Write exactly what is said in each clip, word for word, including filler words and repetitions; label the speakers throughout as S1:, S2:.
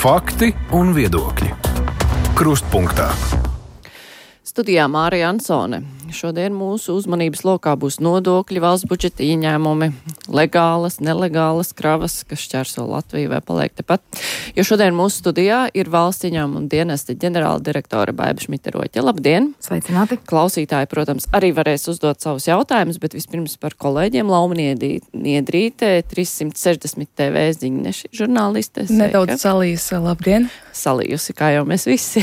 S1: Fakti un viedokļi. Krustpunktā.
S2: Studijā Mārija Ansone. Šodien mūsu uzmanības lokā būs nodokļi, valsts budžeta ieņēmumi, legālas, nelegālas kravas, kas šķērso Latviju vai paliek tepat. Jo šodien mūsu studijā ir valsts ieņēmuma dienesta ģenerāla direktore Baiba Šmita-Roķe. Labdien!
S3: Sveicināti!
S2: Klausītāji, protams, arī varēs uzdot savus jautājumus, bet vispirms par kolēģiem. Lauma Niedrīte, trīssimt sešdesmit T V ziņneši žurnāliste.
S3: Nedaudz salījusi, labdien!
S2: Salījusi, kā jau mēs visi.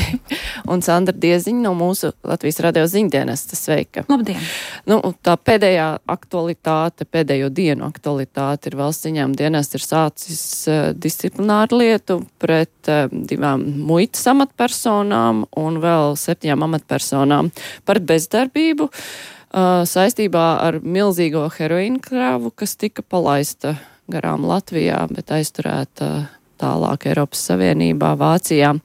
S2: Un Sandra Dieziņa no mūsu Latvijas radio ziņdienesta. Sveika!
S3: Labdien!
S2: Nu, tā pēdējā aktualitāte, pēdējo dienu aktualitāte ir valsts ieņēmuma dienests ir sācis uh, disciplināru lietu pret uh, divām muitas amatpersonām un vēl septiņām amatpersonām par bezdarbību uh, saistībā ar milzīgo heroīnu kravu, kas tika palaista garām Latvijā, bet aizturēta tālāk Eiropas Savienībā, Vācijā.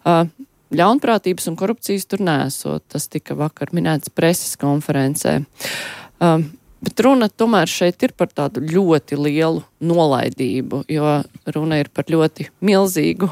S2: Uh, Ļaunprātības un korupcijas tur nesot. Tas tika vakar minēts preses konferencē. Um, bet runa tomēr šeit ir par tādu ļoti lielu nolaidību, jo runa ir par ļoti milzīgu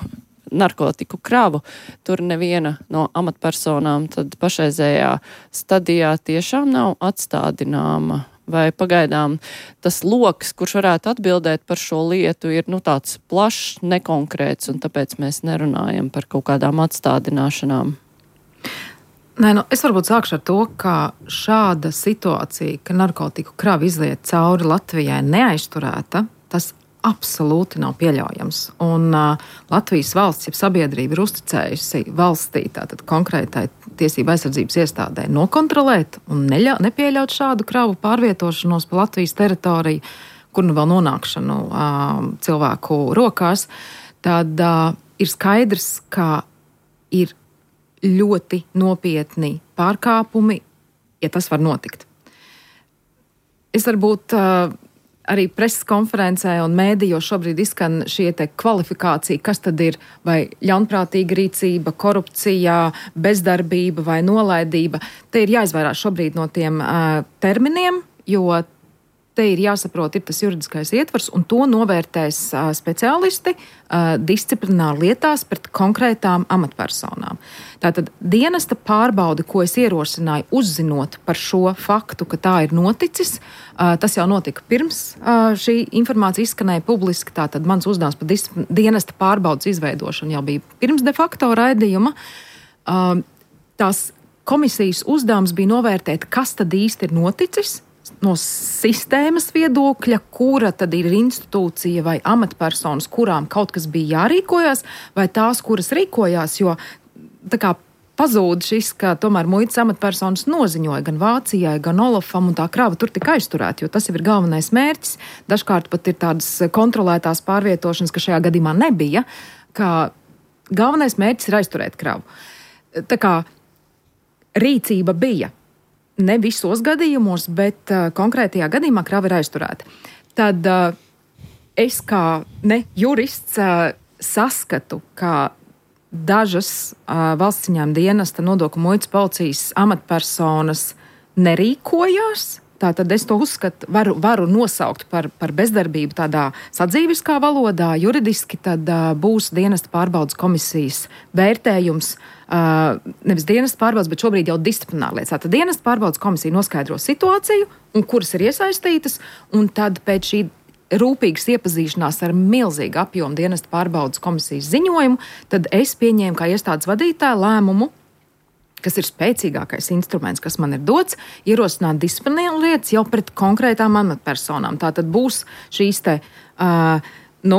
S2: narkotiku kravu. Tur neviena no amatpersonām tad pašreizējā stadijā tiešām nav atstādināma. Vai pagaidām tas loks, kurš varētu atbildēt par šo lietu, ir nu, tāds plašs, nekonkrēts, un tāpēc mēs nerunājam par kaut kādām atstādināšanām?
S3: Nē, nu, es varbūt sākšu ar to, ka šāda situācija, ka narkotiku krava izliet cauri Latvijai neaizturēta, tas absolūti nav pieļaujams. Un uh, Latvijas valsts, jeb sabiedrība ir uzticējusi valstī, tātad konkrētai tiesība aizsardzības iestādē nokontrolēt un neļa, nepieļaut šādu kravu pārvietošanos pa Latvijas teritoriju, kur nu vēl nonākšanu uh, cilvēku rokās, tad uh, ir skaidrs, ka ir ļoti nopietni pārkāpumi, ja tas var notikt. Es varbūt uh, arī preses konferencē un mēdījos šobrīd izskan šie te kvalifikācija, kas tad ir vai ļaunprātīga rīcība, korupcija, bezdarbība vai nolaidība. Te ir jāizvairās šobrīd no tiem uh, terminiem, jo te ir jāsaprot, ir tas juridiskais ietvars, un to novērtēs uh, speciālisti uh, disciplināri lietās pret konkrētām amatpersonām. Tātad dienesta pārbaude, ko es ierosināju, uzzinot par šo faktu, ka tā ir noticis, uh, tas jau notika pirms uh, šī informācija izskanēja publiski, tātad mans uzdevums par disciplin- dienesta pārbaudes izveidošanu jau bija pirms de facto raidījuma. Uh, tās komisijas uzdevums bija novērtēt, kas tad īsti ir noticis, no sistēmas viedokļa, kura tad ir institūcija vai amatpersonas, kurām kaut kas bija jārīkojās, vai tās, kuras rīkojās, jo tā kā pazūd šis, ka tomēr muitas amatpersonas noziņoja gan Vācijai, gan Olafam, un tā krava tur tika aizturēta, jo tas jau ir galvenais mērķis. Dažkārt pat ir tādas kontrolētās pārvietošanas, ka šajā gadījumā nebija, ka galvenais mērķis ir aizturēt kravu. Tā kā rīcība bija. Ne visos gadījumos, bet uh, konkrētajā gadījumā krava ir aizturēta. Tad uh, es kā ne jurists uh, saskatu, ka dažas uh, valsts ieņēmuma dienesta, nodokļu muitas policijas amatpersonas nerīkojās. Tātad es to uzskatu, varu, varu nosaukt par, par bezdarbību tādā sadzīviskā valodā, juridiski tad uh, būs dienesta pārbaudes komisijas vērtējums, uh, nevis dienesta pārbaudes, bet šobrīd jau disciplināra lietas. Tātad dienesta pārbaudes komisija noskaidro situāciju, un kuras ir iesaistītas, un tad pēc šī rūpīgas iepazīšanās ar milzīgu apjomu dienesta pārbaudes komisijas ziņojumu, tad es pieņēmu kā iestādes vadītāja lēmumu, kas ir spēcīgākais instruments, kas man ir dots, ierosināt disciplināru lietas jau pret konkrētām amatpersonām. Tā tad būs šīs te, uh, nu,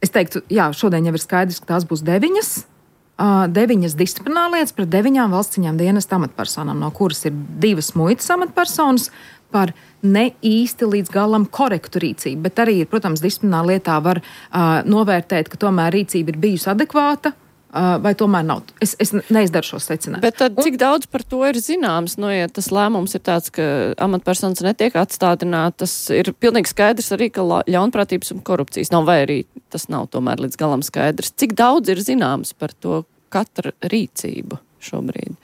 S3: es teiktu, jā, šodien jau ir skaidrs, ka tās būs deviņas, uh, deviņas disciplināru lietas pret deviņām valsts ieņēmuma dienesta amatpersonām, no kuras ir divas muitas amatpersonas par ne īsti līdz galam korektu rīcību, bet arī, protams, disciplināru lietā var uh, novērtēt, ka tomēr rīcība ir bijusi adekvāta, vai tomēr nav. Es, es neizdaru šo secinājumu.
S2: Bet tad cik daudz par to ir zināms? Nu, ja tas lēmums ir tāds, ka amatpersonas netiek atstādinātas, ir pilnīgi skaidrs arī, ka ļaunprātības un korupcijas nav, vai arī tas nav tomēr līdz galam skaidrs. Cik daudz ir zināms par to katra rīcību šobrīd?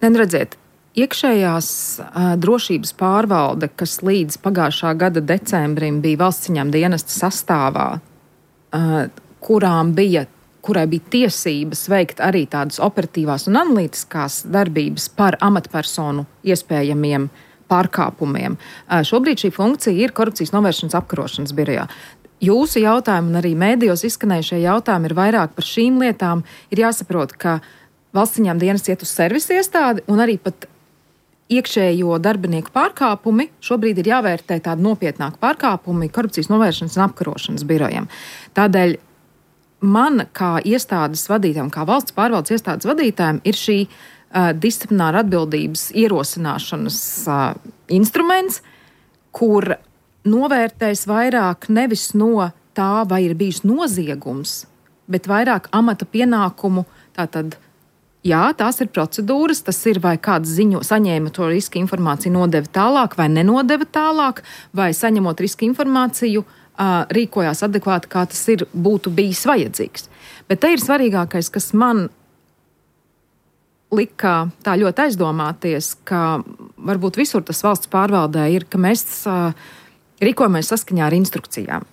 S3: Neredziet, iekšējās uh, drošības pārvalde, kas līdz pagājušā gada decembrim bija valsts ieņēmuma dienesta sastāvā, uh, kurām bija, kurai bija tiesības veikt arī tādas operatīvās un analītiskās darbības par amatpersonu iespējamiem pārkāpumiem. Šobrīd šī funkcija ir korupcijas novēršanas apkarošanas birojā. Jūsu jautājumi un arī mēdījos izskanējušie jautājumi ir vairāk par šīm lietām. Ir jāsaprot, ka valsts ieņēmuma dienests iet uz servisa iestādi un arī pat iekšējo darbinieku pārkāpumi šobrīd ir jāvērtē tādi nopietnāki pārkāpumi korupcijas novēršanas un apkarošanas birojiem. Tādēļ man kā iestādes vadītājiem, kā valsts pārvaldes iestādes vadītājiem ir šī uh, disciplināra atbildības ierosināšanas uh, instruments, kur novērtēs vairāk nevis no tā, vai ir bijis noziegums, bet vairāk amata pienākumu. Tātad, jā, tās ir procedūras, tas ir vai kāds ziņo, saņēma to riska informāciju, nodeva tālāk vai nenodeva tālāk, vai saņemot riska informāciju, uh, rīkojās adekvāti, kā tas ir, būtu bijis vajadzīgs. Bet te ir svarīgākais, kas man lika tā ļoti aizdomāties, ka varbūt visur tas valsts pārvaldē ir, ka mēs uh, rīkojamies saskaņā ar instrukcijām.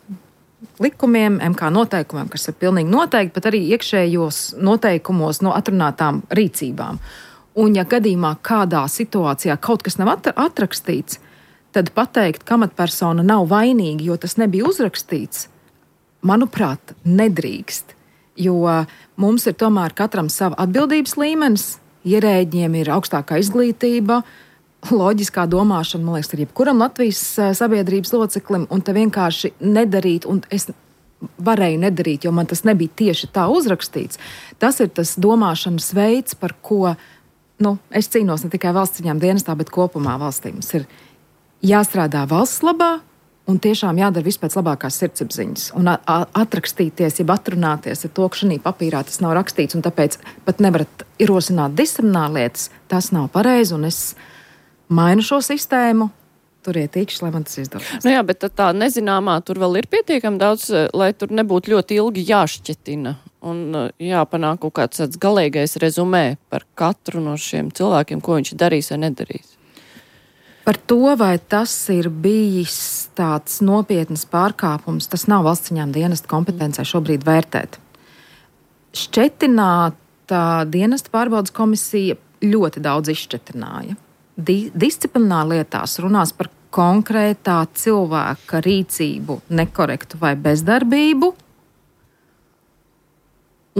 S3: Likumiem, M K noteikumiem, kas ir pilnīgi noteikti, bet arī iekšējos noteikumos no atrunātām rīcībām. Un ja gadījumā kādā situācijā kaut kas nav atrakstīts, tad pateikt, ka amatpersona nav vainīga, jo tas nebija uzrakstīts, manuprāt, nedrīkst. Jo mums ir tomēr katram sava atbildības līmenis, ierēģiem ir augstākā izglītība, loģiskā domāšana, man liekas, ir jebkuram Latvijas sabiedrības loceklim, un te vienkārši nedarīt, un es varēju nedarīt, jo man tas nebija tieši tā uzrakstīts. Tas ir tas domāšanas veids, par ko, nu, es cīnos ne tikai valsts ieņēmuma dienestā, bet kopumā valstī. Mums ir jāstrādā valsts labā, un tiešām jādara viss pēc labākās sirdsapziņas. Un atrakstīties, jeb atrunāties ar to, ka šī papīrā tas nav rakstīts, un tāpēc pat nevarat ierosināt disciplināru lietas, tas nav pareizi, un es mainu šo sistēmu, turiet īkšķi, lai man tas izdodas.
S2: Nu jā, bet tā nezināmā tur vēl ir pietiekami daudz, lai tur nebūtu ļoti ilgi jāšķetina un jāpanāk kaut kāds tāds galīgais rezumē par katru no šiem cilvēkiem, ko viņš darīs vai nedarīs.
S3: Par to, vai tas ir bijis tāds nopietnas pārkāpums, tas nav valsts ieņēmuma dienesta kompetencē šobrīd vērtēt. Šķetināta dienesta pārbaudas komisija ļoti daudz izšķetināja. Di- disciplināri lietās runās par konkrētā cilvēka rīcību, nekorektu vai bezdarbību.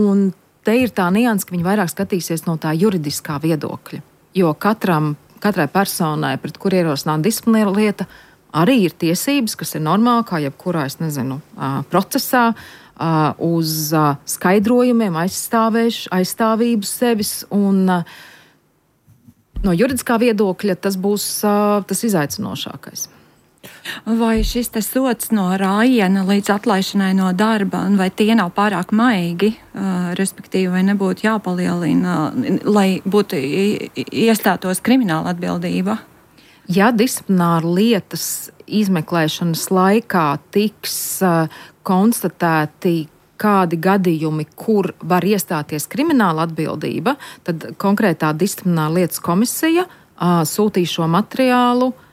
S3: Un te ir tā nianse, ka viņi vairāk skatīsies no tā juridiskā viedokļa. Jo katram, katrai personai, pret kur ierosināt disciplināra lieta, arī ir tiesības, kas ir normāli, kā jebkurā, es nezinu, procesā, uz skaidrojumiem, aizstāvību sevis un no juridiskā viedokļa tas būs uh, tas izaicinošākais.
S4: Vai šis te sots no rājiena līdz atlaišanai no darba, vai tie nav pārāk maigi, uh, respektīvi, vai nebūtu jāpalielina, uh, lai būtu iestātos krimināla atbildība?
S3: Ja disciplināra lietas izmeklēšanas laikā tiks uh, konstatēti kādi gadījumi, kur var iestāties krimināla atbildība, tad konkrētā disciplināra lietas komisija uh, sūtīs šo materiālu uh,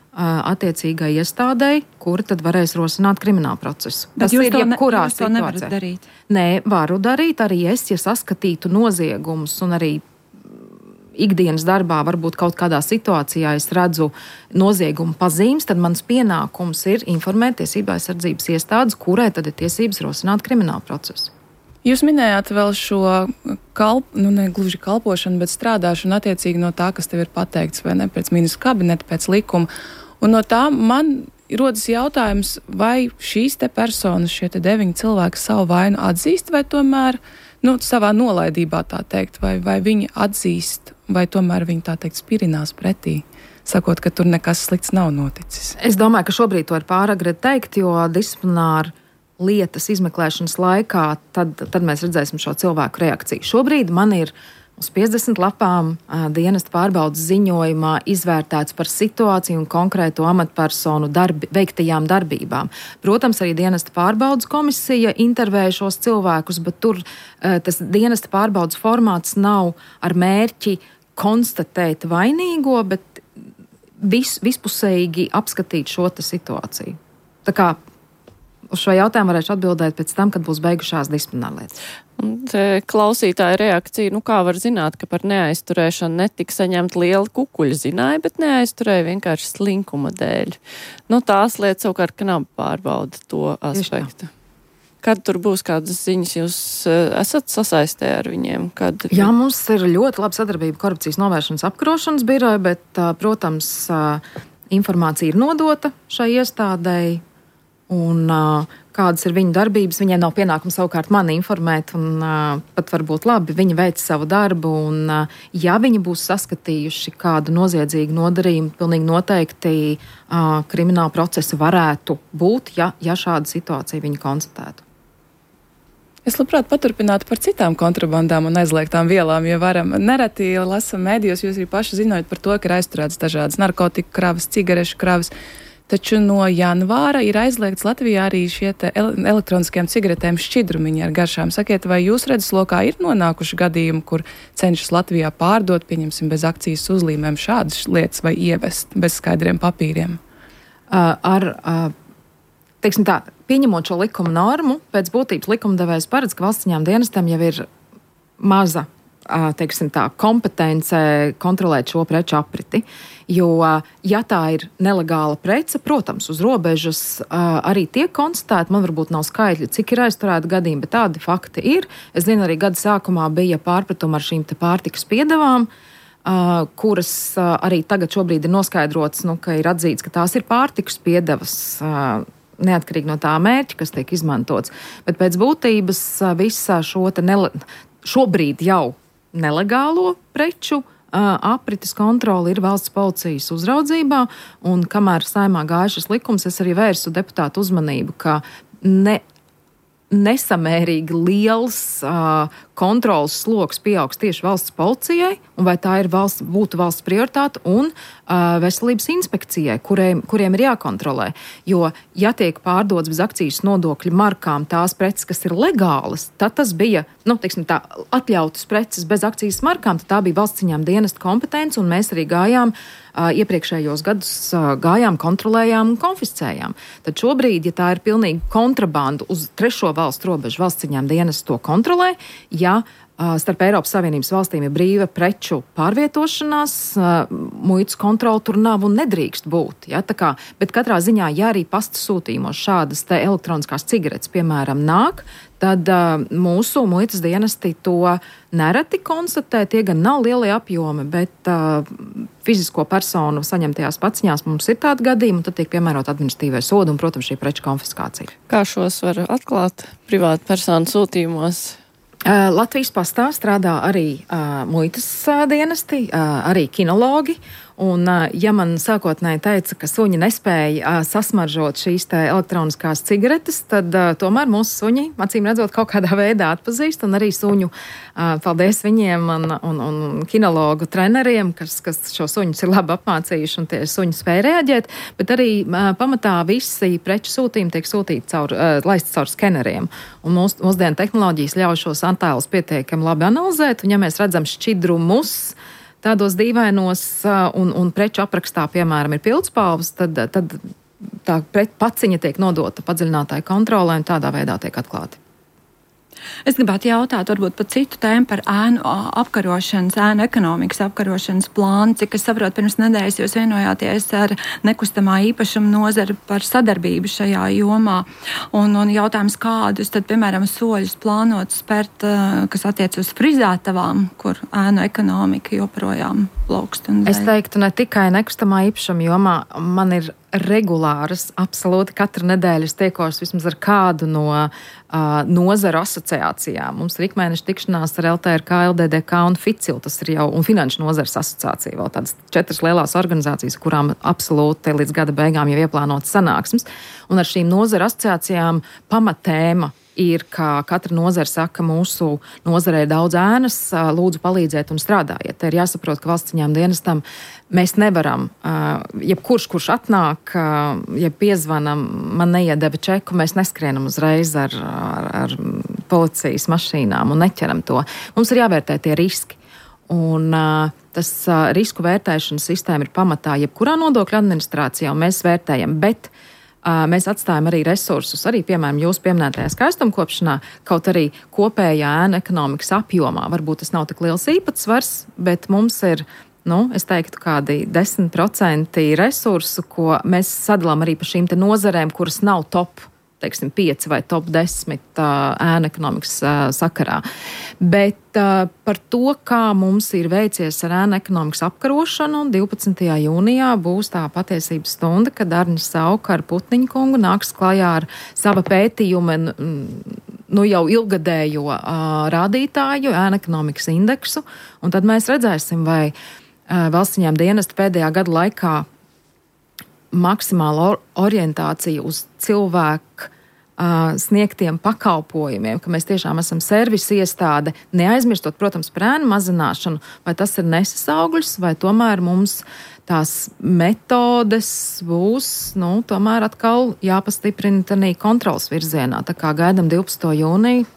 S3: attiecīgai iestādei, kura tad varēs rosināt kriminālu procesu.
S4: Bet
S3: Tas
S4: jūs
S3: ir
S4: to, ne,
S3: jebkurā
S4: jūs to nevarat darīt?
S3: Nē, varu darīt arī es, ja saskatītu noziegumus un arī ikdienas darbā, varbūt kaut kādā situācijā es redzu noziegumu pazīmes, tad mans pienākums ir informēt tiesību aizsardzības iestādes, kurai tad ir tiesības rosināt kriminālu procesu.
S5: Jūs minējāt vēl šo kalp, nu ne gluži kalpošanu, bet strādāšanu attiecīgi no tā, kas tev ir pateikts, vai ne, pēc ministru kabineta, pēc likuma. Un no tā man rodas jautājums, vai šīs te personas, šie te deviņi cilvēki savu vainu atzīst, vai tomēr, nu, savā nolaidībā tā teikt, vai, vai viņi atzīst, vai tomēr viņi tā teikt spirinās pretī, sakot, ka tur nekas slikts nav noticis?
S3: Es domāju, ka šobrīd to ir pāragri teikt, jo disciplināri lietas izmeklēšanas laikā, tad, tad mēs redzēsim šo cilvēku reakciju. Šobrīd man ir uz piecdesmit lapām dienesta pārbaudas ziņojumā izvērtēts par situāciju un konkrēto amatpersonu darbi, veiktajām darbībām. Protams, arī dienesta pārbaudas komisija intervēja šos cilvēkus, bet tur tas dienesta pārbaudas formāts nav ar mērķi konstatēt vainīgo, bet vis, vispusēji apskatīt šo situāciju. Tā kā uz šo jautājumu varēšu atbildēt pēc tam, kad būs beigušās disciplinārlietas.
S2: Klausītāja reakcija, nu kā var zināt, ka par neaizturēšanu netika saņemt liela kukuļa, zināja, bet neaizturēja vienkārši slinkuma dēļ. Nu tās lietas savukārt, ka nav pārbauda to aspektu. Kad tur būs kādas ziņas, jūs esat sasaistē ar viņiem? Kad...
S3: Jā, mums ir ļoti laba sadarbība korupcijas novēršanas apkarošanas biroja, bet, protams, informācija ir nodota šai iestādēji, un kādas ir viņu darbības. Viņiem nav pienākums savukārt mani informēt, un pat varbūt labi, viņi veic savu darbu, un ja viņi būs saskatījuši kādu noziedzīgu nodarījumu, pilnīgi noteikti krimināla procesa varētu būt, ja, ja šāda situācija viņi konstatētu.
S5: Es labprāt paturpinātu par citām kontrabandām un aizliegtām vielām, jo varam nereti lasam mēdījos, jūs arī paši zinājat par to, ka ir aizturēts dažādas narkotiku kravas, cigarešu kravas, taču no janvāra ir aizliegts Latvijā arī šie te elektroniskajām cigaretēm šķidrumiņi ar garšām. Sakiet, vai jūs redzeslokā ir nonākuši gadījumi, kur cenšas Latvijā pārdot, pieņemsim, bez akcijas uzlīmēm šādas lietas vai ievest bez skaidriem papīriem?
S3: Uh, ar... Uh... Teiksim tā, pieņemot šo likuma normu, pēc būtības likumdevējs paredz, ka valsts ieņēmuma dienestam jau ir maza, teiksim tā, kompetence kontrolēt šo preču apriti. Jo, ja tā ir nelegāla prece, protams, uz robežas arī tiek konstatēta, man varbūt nav skaidri, cik ir aizturēta gadījumi, bet tādi fakti ir. Es zinu, arī gada sākumā bija pārpratumi ar šīm te pārtikas piedevām, kuras arī tagad šobrīd ir noskaidrots, nu, ka ir atzīts, ka tās ir pārtikas piedevas, neatkarīgi no tā mērķa, kas tiek izmantots. Bet pēc būtības visā šo te nele, šobrīd jau nelegālo preču aprites kontroli ir valsts policijas uzraudzībā, un kamēr Saeimā gāja šis likums, es arī vērsu deputātu uzmanību, ka ne nesamērīgi liels uh, kontrolas sloks pieaugs tieši valsts policijai, un vai tā ir valsts, būtu valsts prioritāte, un uh, veselības inspekcijai, kuriem, kuriem ir jākontrolē. Jo, ja tiek pārdots bez akcijas nodokļu markām tās preces, kas ir legālas, tad tas bija, nu, teiksim tā, atļautas preces bez akcijas markām, tad tā bija valsts ieņēmuma dienesta kompetence, un mēs arī gājām Uh, iepriekšējos gadus uh, gājām, kontrolējām un konfiscējām. Tad šobrīd, ja tā ir pilnīgi kontrabanda uz trešo valstu robežu, valsts ieņēmuma dienests to kontrolē, ja uh, starp Eiropas Savienības valstīm ir brīva preču pārvietošanās, uh, muitas kontrola tur nav un nedrīkst būt. Ja? Tā kā, bet katrā ziņā, ja arī pasta sūtījumos šādas te elektroniskās cigaretes, piemēram, nāk, tad uh, mūsu muitas dienesti to nereti konstatē. Tie gan nav lielie apjomi, bet uh, fizisko personu saņemtajās paciņās mums ir tādi gadījumi, un tad tiek piemērot administratīvai sodu un, protams, šī preču konfiskācija.
S2: Kā šos var atklāt privātu personu sūtījumos?
S3: Uh, Latvijas pastā strādā arī uh, muitas uh, dienesti, uh, arī kinologi. Un, ja man sākotnēji teica, ka suņi nespēja uh, sasmaržot šīs te elektroniskās cigaretes, tad uh, tomēr mūsu suņi, acīm redzot, kaut kādā veidā atpazīst, un arī suņu, uh, paldies viņiem un, un, un kinologu treneriem, kas, kas šo suņus ir labi apmācījuši, un tie suņi spēja reaģēt, bet arī uh, pamatā visi preču sūtījumi tiek sūtīti caur, uh, laisti caur skeneriem. Un mūs, mūsdienu tehnoloģijas ļauj šos attēlus pietiekami labi analizēt, un ja mēs redzam šķidrumus, tādos dīvainos un, un preču aprakstā, piemēram, ir pildspalvas, tad, tad tā paciņa tiek nodota padziļinātāju kontrolē un tādā veidā tiek atklāti.
S4: Es gribētu jautāt varbūt par citu tēmu, par ēnu apkarošanas, ēnu ekonomikas apkarošanas plānu. Cik es saprotu, pirms nedēļas jūs vienojāties ar nekustamā īpašuma nozari par sadarbību šajā jomā. Un, un jautājums, kādus tad, piemēram, soļus plānot spērt, kas attiec uz frizētavām, kur ēnu ekonomika joprojām plaukst.
S3: Es teiktu, ne tikai nekustamā īpašuma jomā, man ir regulāras, absolūti katru nedēļu es tiekos vismaz ar kādu no uh, nozaru asociācijām. Mums ir ikmēneša tikšanās ar L T R K, L D D K un FICIL, tas ir jau, un Finanšu nozares asociācija, vēl tādas četras lielās organizācijas, kurām absolūti līdz gada beigām jau ieplānotas sanāksmes. Un ar šīm nozaru asociācijām pamatēma ir, ka katra nozara saka, mūsu nozarē ir daudz ēnas, lūdzu palīdziet un strādājiet. Te ir jāsaprot, ka valsts ieņēmuma dienestam mēs nevaram, jebkurš, kurš atnāk, ja piezvanam, man neiedeva čeku, mēs neskrienam uzreiz ar, ar, ar policijas mašīnām un neķeram to. Mums ir jāvērtē tie riski. Un tas risku vērtēšanas sistēma ir pamatā jebkurā nodokļu administrācijā, un mēs vērtējam, bet mēs atstājam arī resursus, arī, piemēram, jūs pieminētajā skaistumkopšanā, kaut arī kopējā ēnu ekonomikas apjomā. Varbūt tas nav tik liels īpatsvars, bet mums ir, nu, es teiktu, kādi desmit procenti resursu, ko mēs sadalām arī pa šīm te nozarēm, kuras nav top, teiksim, pieci vai top desmit ēnu ekonomikas sakarā. Bet par to, kā mums ir veicies ar ēnu ekonomikas apkarošanu, divpadsmitajā jūnijā būs tā patiesības stunda, kad Arnis Sauka ar Putniņu kungu nāks klajā ar sava pētījuma, nu jau ilgadējo rādītāju, ēnu ekonomikas indeksu, un tad mēs redzēsim, vai valsts ieņēmuma dienesta pēdējā gada laikā maksimāla orientācija uz cilvēku uh, sniegtiem pakalpojumiem, ka mēs tiešām esam servisa iestāde, neaizmirstot, protams, par ēnu mazināšanu, vai tas ir neses augļus, vai tomēr mums tās metodes būs, nu, tomēr atkal jāpastiprina tanī kontrols virzienā. Tā kā gaidam divpadsmito jūniju,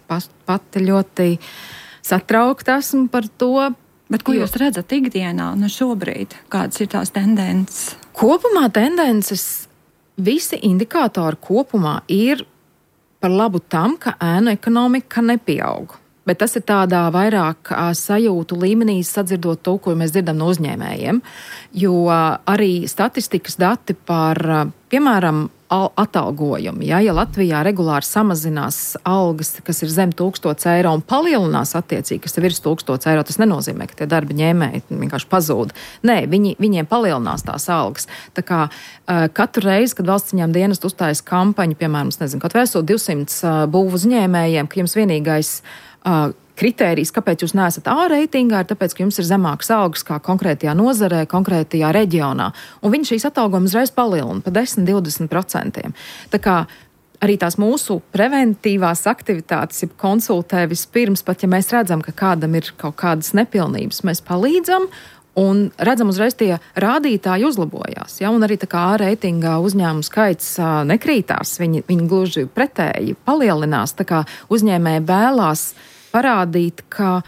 S3: pati ļoti satraukta esmu par to.
S4: Bet ko jūs redzat ikdienā, nu šobrīd? Kādas ir tās tendences?
S3: Kopumā tendences, visi indikātori kopumā ir par labu tam, ka ēnu ekonomika nepieaug. Bet tas ir tādā vairāk sajūtu līmenī, sadzirdot to, ko mēs dzirdam no uzņēmējiem. Jo arī statistikas dati par, piemēram, atalgojumu. Ja, ja Latvijā regulāri samazinās algas, kas ir zem tūkstots eiro un palielinās attiecīgi, kas ir virs tūkstots eiro, tas nenozīmē, ka tie darba ņēmēji vienkārši pazūd. Nē, viņi, viņiem palielinās tās algas. Tā kā uh, katru reizi, kad valsts ieņēmuma dienesta uzstājas kampaņu, piemēram, es nezinu, kaut vēsot divsimt uh, būvu uzņēmējiem, ka jums vienīgais uh, kritērijs, kāpēc jūs neesat A reitingā, ir tāpēc, ka jums ir zemākas algas kā konkrētajā nozarē, konkrētajā reģionā. Un viņi šīs atalgojumus uzreiz palielina pa desmit līdz divdesmit procentiem. Tā kā arī tās mūsu preventīvās aktivitātes, ja konsultē vispirms, pat ja mēs redzam, ka kādam ir kaut kādas nepilnības, mēs palīdzam un redzam uzreiz tie rādītāji uzlabojās. Ja? Un arī tā kā A reitingā uzņēmumu skaits uh, nekrītās, viņi, viņi gluži pretēji palielinās, tā kā uzņēmēji vēlās parādīt, ka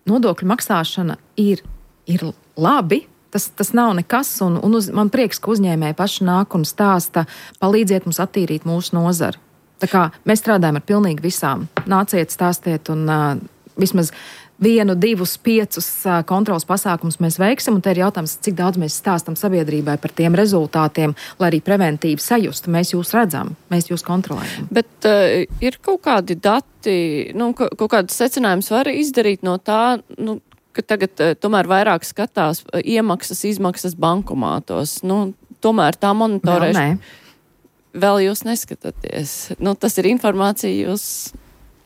S3: nodokļu maksāšana ir, ir labi, tas, tas nav nekas, un, un uz, man prieks, ka uzņēmēji paši nāk un stāsta, palīdziet mums attīrīt mūsu nozari. Tā kā mēs strādājam ar pilnīgi visām. Nāciet, stāstiet, un uh, vismaz vienu, divus, piecus uh, kontrols pasākumus mēs veiksim, un te ir jautājums, cik daudz mēs stāstam sabiedrībai par tiem rezultātiem, lai arī preventīvi sajustu. Mēs jūs redzam, mēs jūs kontrolējam.
S2: Bet uh, ir kaut kādi dati, nu, ka, kaut kādas secinājumus var izdarīt no tā, nu, ka tagad uh, tomēr vairāk skatās uh, iemaksas, izmaksas bankomātos. Nu, tomēr tā monitorēšana. Vēl, vēl jūs neskatāties. Nu, tas ir informācija, jūs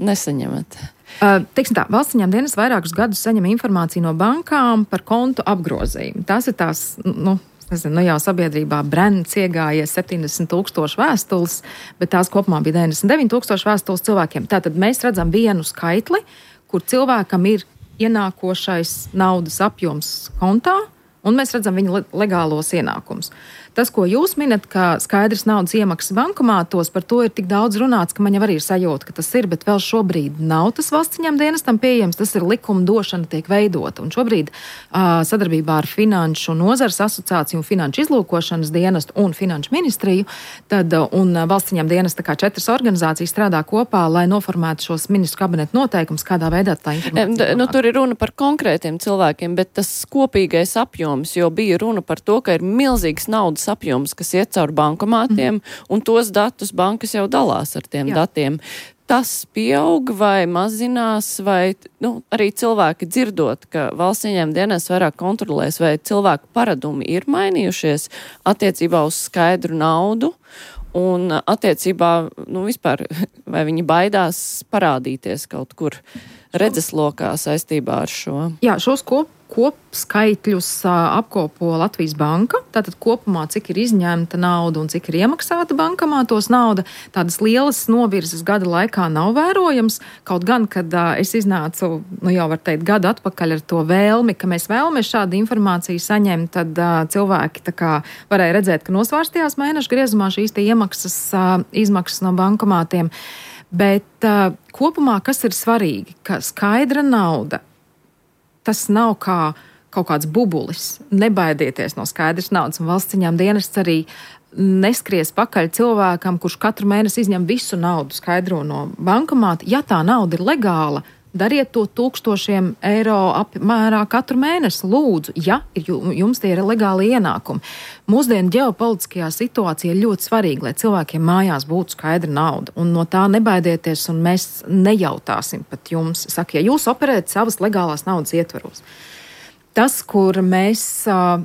S2: nesaņemat.
S3: Uh, teiksim tā, valsts ieņēmuma dienesta vairākus gadus saņem informāciju no bankām par kontu apgrozījumu. Tās ir tās, nu, nezinu, nu jau sabiedrībā brends iegājies septiņdesmit tūkstoši vēstules, bet tās kopumā bija deviņdesmit deviņi tūkstoši vēstules cilvēkiem. Tātad mēs redzam vienu skaitli, kur cilvēkam ir ienākošais naudas apjoms kontā, un mēs redzam viņa legālos ienākumus. Tas, ko jūs minat, ka skaidrs naudas iemaksas bankomātos, par to ir tik daudz runāts, ka man jau arī ir sajūta, ka tas ir, bet vēl šobrīd nav tas valsts ieņēmuma dienestam pieejams, tas ir likuma došana tiek veidota. Un šobrīd uh, sadarbībā ar Finanšu nozares asociāciju un Finanšu izlūkošanas dienestu un Finanšu ministriju, tad uh, un valsts ieņēmuma dienesta kā četras organizācijas strādā kopā, lai noformētu šos ministru kabinetu noteikumus, kādā veidā tā informācija.
S2: Nu, tur ir runa par konkrētiem cilvēkiem, bet tas kopīgais apjoms, jo bija runa par to, ka ir milzīgs naudas apjoms, kas iet caur bankomātiem, mm. un tos datus bankas jau dalās ar tiem Jā. datiem. Tas pieaug vai mazinās, vai nu, arī cilvēki dzirdot, ka valsts ieņēmuma dienests vairāk kontrolēs, vai cilvēku paradumi ir mainījušies attiecībā uz skaidru naudu, un attiecībā, nu vispār, vai viņi baidās parādīties kaut kur redzeslokā saistībā ar šo?
S3: Jā, šos kop kopskaitļus apkopo Latvijas banka. Tātad kopumā, cik ir izņemta nauda un cik ir iemaksāta bankomātos nauda, tādas lielas novirzes gada laikā nav vērojams. Kaut gan, kad uh, es iznācu, nu jau var teikt, gadu atpakaļ ar to vēlmi, ka mēs vēlamies šādu informāciju saņemt, tad uh, cilvēki tā kā varēja redzēt, ka nosvārstījās mēnešu griezumā šīs tie iemaksas, uh, izmaksas no bankomātiem. Bet uh, kopumā, kas ir svarīgi, ka skaidra nauda, tas nav kā kaut kāds bubulis. Nebaidieties no skaidras naudas, un valsts ieņēmuma dienests arī neskries pakaļ cilvēkam, kurš katru mēnesi izņem visu naudu skaidro no bankomāta. Ja tā nauda ir legāla, dariet to tūkstošiem eiro apmērā katru mēnesi, lūdzu, ja jums tie ir legāli ienākumi. Mūsdienu ģeopolitiskajā situācijā ir ļoti svarīgi, lai cilvēkiem mājās būtu skaidra nauda, un no tā nebaidieties, un mēs nejautāsim pat jums. Saka, ja jūs operējat savas legālās naudas ietvaros. Tas, kur mēs uh,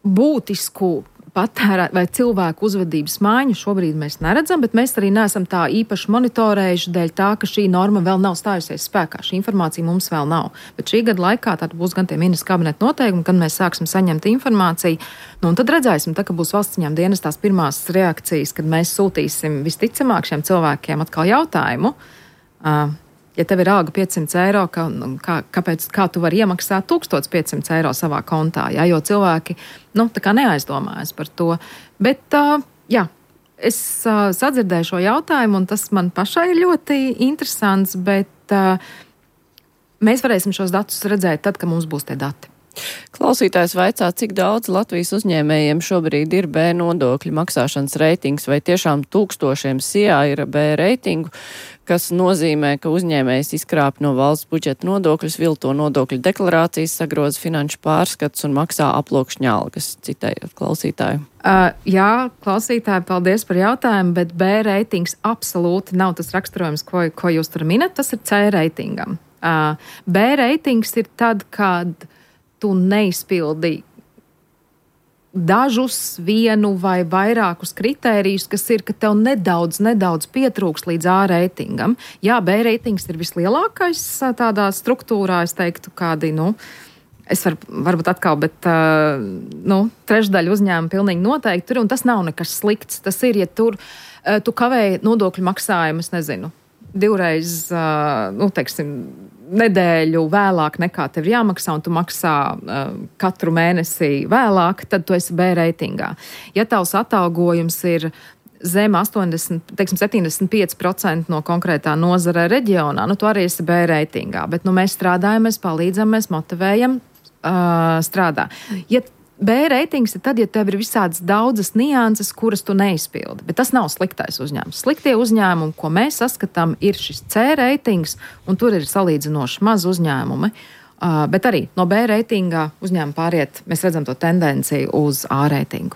S3: būtisku patērēt vai cilvēku uzvedības maiņu šobrīd mēs neredzam, bet mēs arī neesam tā īpaši monitorējuši dēļ tā, ka šī norma vēl nav stājusies spēkā. Šī informācija mums vēl nav. Bet šī gada laikā tad būs gan tie ministra kabineta noteikumi, kad mēs sāksim saņemt informāciju. Nu, un tad redzēsim, tā, ka būs valsts ieņēmuma dienas tās pirmās reakcijas, kad mēs sūtīsim visticamāk šiem cilvēkiem atkal jautājumu. Uh, Ja tev ir alga piecsimt eiro, kā, kā, kāpēc, kā tu vari iemaksāt tūkstoš piecsimt eiro savā kontā, jā, jo cilvēki, nu, tā kā neaizdomājas par to. Bet, uh, jā, es uh, sadzirdēju šo jautājumu, un tas man pašai ir ļoti interesants, bet uh, mēs varēsim šos datus redzēt tad, kad mums būs tie dati.
S2: Klausītājs vaicā, cik daudz Latvijas uzņēmējiem šobrīd ir B nodokļu maksāšanas reitings, vai tiešām tūkstošiem S I A ir B reitingu, kas nozīmē, ka uzņēmējs izkrāp no valsts budžeta nodokļus, vilto nodokļu deklarācijas, sagroza finanšu pārskats un maksā aploksņa algas, citējot klausītāju.
S3: Uh, jā, klausītāji, paldies par jautājumu, bet B reitings absolūti nav tas raksturojums, ko, ko jūs tur minat, tas ir C reitingam. Uh, B reitings ir tad, kad tu neizpildi dažus, vienu vai vairākus kritērijus, kas ir, ka tev nedaudz, nedaudz pietrūks līdz A reitingam. Jā, B reitings ir vislielākais tādā struktūrā, es teiktu, kādi, nu, es var, varbūt atkal, bet, uh, nu, trešdaļa uzņēmuma pilnīgi noteikti tur, un tas nav nekas slikts. Tas ir, ja tur uh, tu kavēji nodokļu maksājumu, es nezinu, divreiz, uh, nu, teiksim, nedēļu vēlāk nekā tev ir jāmaksā, un tu maksā uh, katru mēnesi vēlāk, tad tu esi B reitingā. Ja tavs atalgojums ir zem astoņdesmit, teiksim, septiņdesmit pieci procenti no konkrētā nozara reģionā, nu, tu arī esi B reitingā, bet, nu, mēs strādājam, mēs palīdzam, mēs motivējam uh, strādā. Ja B reitings ir tad, ja tev ir visādas daudzas nianses, kuras tu neizpildi. Bet tas nav sliktais uzņēmums. Sliktie uzņēmumi, ko mēs saskatām, ir šis C reitings, un tur ir salīdzinoši maz uzņēmumi. Uh, bet arī no B reitingā uzņēmumi pāriet, mēs redzam to tendenciju uz A reitingu.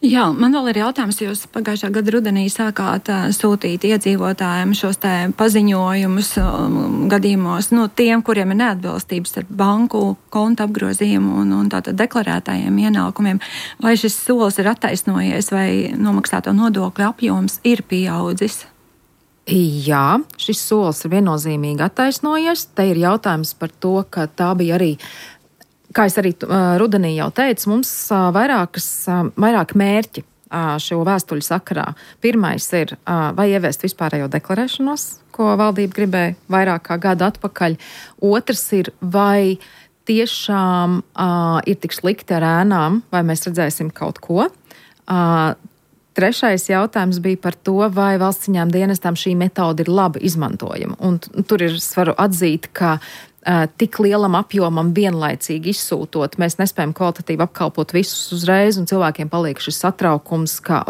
S4: Jā, man vēl ir jautājums, jūs pagājušā gada rudenī sākāt uh, sūtīt iedzīvotājiem šos te paziņojumus um, gadījumos, no tiem, kuriem ir neatbilstības ar banku konta apgrozījumu un, un tātad deklarētājiem ienākumiem. Vai šis solis ir attaisnojies, vai nomaksāto nodokļu apjoms ir pieaudzis?
S3: Jā, šis solis ir viennozīmīgi attaisnojies. Te ir jautājums par to, ka tā bija arī, kā es arī uh, rudenī jau teicu, mums uh, vairākas, uh, vairāk mērķi uh, šo vēstuļu sakarā. Pirmais ir, uh, vai ieviest vispārējo deklarēšanos, ko valdība gribēja vairāk kā gadu atpakaļ. Otrs ir, vai tiešām uh, ir tik slikti ar ēnām, vai mēs redzēsim kaut ko. Uh, Trešais jautājums bija par to, vai valsts ieņēmuma dienestam šī metode ir labi izmantojama. Un tur ir, es varu atzīt, ka uh, tik lielam apjomam vienlaicīgi izsūtot, mēs nespējam kvalitatīvi apkalpot visus uzreiz, un cilvēkiem paliek šis satraukums, ka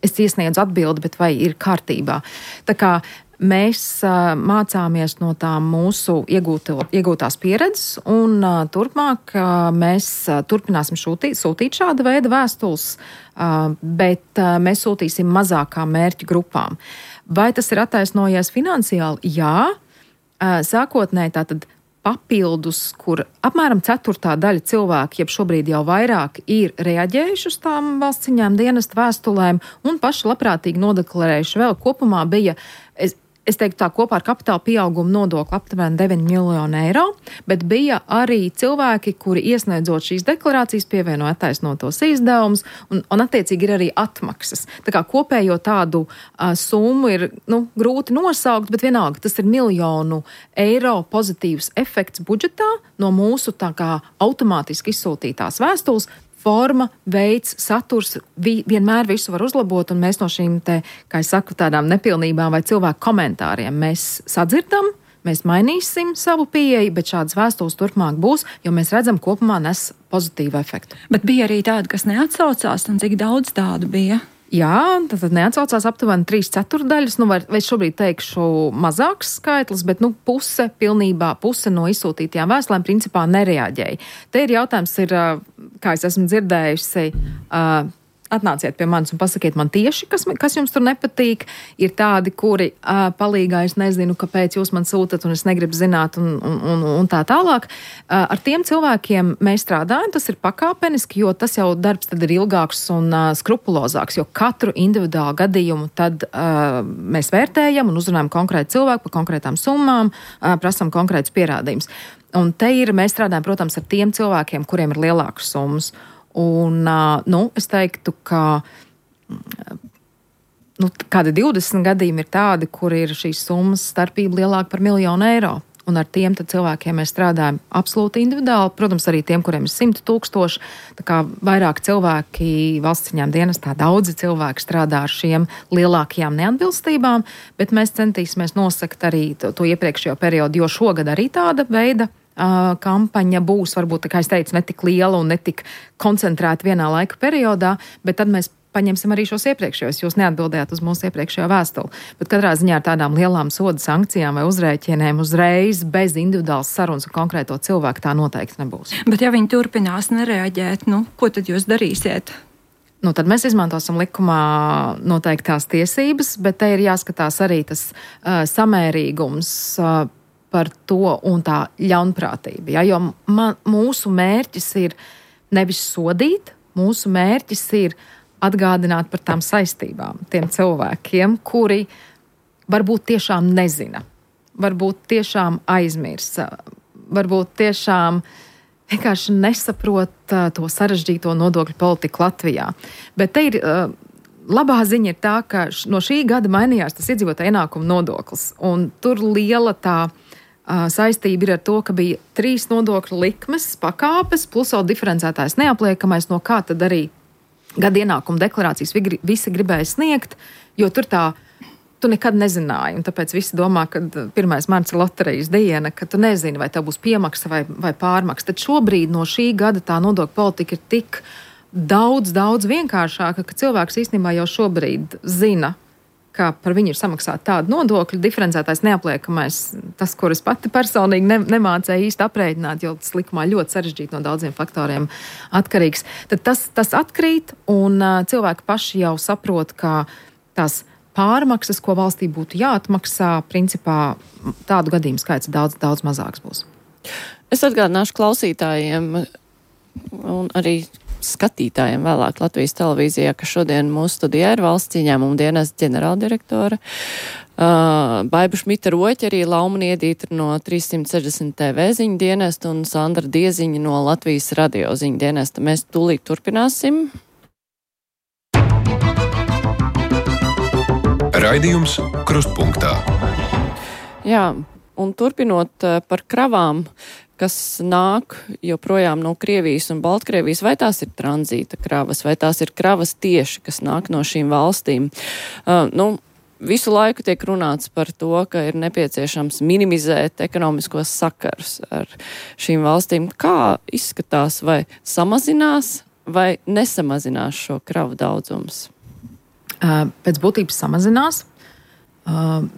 S3: es iesniedzu atbildi, bet vai ir kārtībā. Tā kā mēs uh, mācāmies no tām mūsu iegūto, iegūtās pieredzes, un uh, turpmāk uh, mēs uh, turpināsim šūtīt, sūtīt šāda veida vēstules, uh, bet uh, mēs sūtīsim mazākām mērķu grupām. Vai tas ir attaisnojies finansiāli? Jā. Uh, sākotnēji tātad papildus, kur apmēram ceturtā daļa cilvēku, jeb šobrīd jau vairāk, ir reaģējuši uz tām valsts ieņēmuma dienesta vēstulēm un paši labprātīgi nodeklarējuši vēl kopumā bija, es, es teiktu tā, kopā ar kapitāla pieauguma nodokli aptuveni deviņi miljoni eiro, bet bija arī cilvēki, kuri iesniedzot šīs deklarācijas pievieno attaisnotos izdevumus un, un attiecīgi ir arī atmaksas. Tā kā kopējo tādu uh, summu ir, nu, grūti nosaukt, bet vienalga tas ir miljonu eiro pozitīvs efekts budžetā no mūsu tā kā automātiski izsūtītās vēstules. Forma, veids, saturs, vi, vienmēr visu var uzlabot, un mēs no šīm te, kā es saku, tādām nepilnībām vai cilvēku komentāriem mēs sadzirdam, mēs mainīsim savu pieeju, bet šādas vēstules turpmāk būs, jo mēs redzam, kopumā nes pozitīvu efektu.
S4: Bet bija arī tādi, kas neatsaucās, un cik daudz tādu bija?
S3: Jā, tad neatsaucās aptuveni trīs ceturdaļas, nu vai, vai šobrīd teikšu mazāks skaitlis, bet nu puse, pilnībā puse no izsūtītajām vēstulēm principā nereaģēja. Te ir jautājums, ir, kā es esmu dzirdējusi, uh, atnāciet pie manis un pasakiet man tieši, kas, kas jums tur nepatīk. Ir tādi, kuri uh, palīgā, es nezinu, kāpēc jūs man sūtat un es negribu zināt un, un, un, un tā tālāk. Uh, ar tiem cilvēkiem mēs strādājam, tas ir pakāpeniski, jo tas jau darbs tad ir ilgāks un uh, skrupulozāks, jo katru individuālu gadījumu tad uh, mēs vērtējam un uzrunājam konkrētu cilvēku par konkrētām summām, uh, prasam konkrētus pierādījumus. Un te ir, mēs strādājam, protams, ar tiem cilvēkiem, kuriem ir lielākas summas. Un, nu, es teiktu, ka nu, kādi divdesmit gadījumi ir tādi, kur ir šīs summas starpība lielāka par miljonu eiro. Un ar tiem cilvēkiem mēs strādājam absolūti individuāli. Protams, arī tiem, kuriem ir simt tūkstoši. Tā kā vairāk cilvēki valsts ieņēmuma dienestā, daudzi cilvēki strādā ar šiem lielākajām neatbilstībām, bet mēs centīsimies nosakt arī to, to iepriekšējo periodu, jo šogad arī tāda veida Uh, kampaņa būs, varbūt, kā es teicu, ne tik liela un ne tik koncentrēta vienā laika periodā, bet tad mēs paņemsim arī šos iepriekšējos. Jūs neatbildējāt uz mūsu iepriekšējo vēstuli. Bet katrā ziņā ar tādām lielām soda sankcijām vai uzrēķiniem uzreiz bez individuālas sarunas un konkrēto cilvēku tā noteikti nebūs.
S4: Bet ja viņi turpinās nereaģēt, nu, ko tad jūs darīsiet?
S3: Nu, tad mēs izmantosim likumā noteiktās tiesības, bet te ir jāskatās arī tas uh, samērīgums uh, par to un tā ļaunprātība. Ja? Jo man, mūsu mērķis ir nevis sodīt, mūsu mērķis ir atgādināt par tām saistībām tiem cilvēkiem, kuri varbūt tiešām nezina, varbūt tiešām aizmirsa, varbūt tiešām vienkārši nesaprot uh, to sarežģīto nodokļu politiku Latvijā. Bet te ir uh, labā ziņa ir tā, ka no šī gada mainījās tas iedzīvotāju ienākuma nodoklis, un tur liela tā saistība ir ar to, ka bija trīs nodokļu likmes, pakāpes, plus vēl diferencētājs neapliekamais, no kā tad arī gada ienākuma deklarācijas visi gribēja sniegt, jo tur tā, tu nekad nezināji, un tāpēc visi domā, ka pirmais marts ir loterijas diena, ka tu nezini, vai tev būs piemaksa vai, vai pārmaksa. Tad šobrīd no šī gada tā nodokļu politika ir tik daudz, daudz vienkāršāka, ka cilvēks īstenībā jau šobrīd zina, ka par viņu ir samaksāta tāda nodokļa, diferencētais neapliekamais, tas, kuras pati personīgi ne, nemācēja īsti aprēķināt, jo tas likumā ļoti sarežģīti no daudziem faktoriem atkarīgs. Tad tas, tas atkrīt, un uh, cilvēki paši jau saprot, ka tās pārmaksas, ko valstī būtu jāatmaksā, principā tādu gadījumu skaits daudz, daudz mazāks būs.
S2: Es atgādināšu klausītājiem un arī skatītājiem vēlāk Latvijas televīzijā, ka šodien mūsu studijā ir valsts ieņēmuma dienesta ģenerāldirektore uh, Baiba Šmita Roķa, arī Lauma Niedītra no trīssimt sešdesmit T V ziņu dienesta un Sandra Dieziņa no Latvijas radio ziņu dienesta. Mēs tūlīt turpināsim.
S1: Raidījums Krustpunktā.
S2: Jā, un turpinot uh, par kravām, kas nāk joprojām no Krievijas un Baltkrievijas, vai tās ir tranzīta kravas, vai tās ir kravas tieši, kas nāk no šīm valstīm. Uh, nu, visu laiku tiek runāts par to, ka ir nepieciešams minimizēt ekonomiskos sakarus ar šīm valstīm. Kā izskatās, vai samazinās vai nesamazinās šo kravu daudzums?
S3: Uh, pēc būtības samazinās. Uh,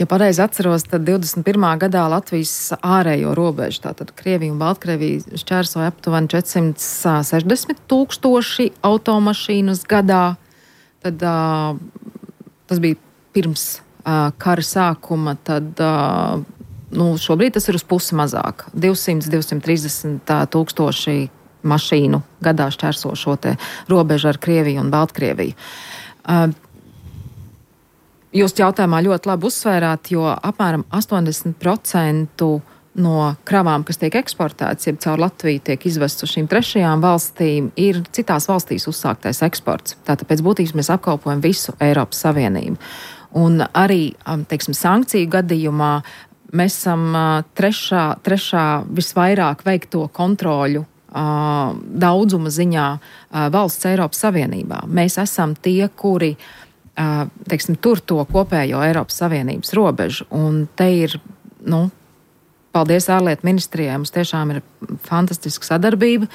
S3: Ja pareizi atceros, tad divdesmit pirmā gadā Latvijas ārējo robežu, tātad Krievija un Baltkrievija šķērsoja aptuveni četrsimt sešdesmit tūkstoši automašīnas gadā. Tad uh, tas bija pirms uh, kara sākuma, tad uh, nu, šobrīd tas ir uz pusi mazāk. divsimt līdz divsimt trīsdesmit tūkstoši mašīnu gadā šķērso šo te robežu ar Krieviju un Baltkrieviju. Uh, Jūs jautājumā ļoti labi uzsvērāt, jo apmēram astoņdesmit procenti no kravām, kas tiek eksportētas, jeb caur Latviju tiek izvests uz šīm trešajām valstīm, ir citās valstīs uzsāktais eksports. Tātad pēc būtības mēs apkalpojam visu Eiropas Savienību. Un arī, teiksim, sankciju gadījumā mēs esam trešā, trešā visvairāk veikto kontroļu uh, daudzuma ziņā uh, valsts Eiropas Savienībā. Mēs esam tie, kuri teiksim, tur to kopējo Eiropas Savienības robežu, un te ir nu, paldies ārlietu ministrijai, mums tiešām ir fantastiska sadarbība.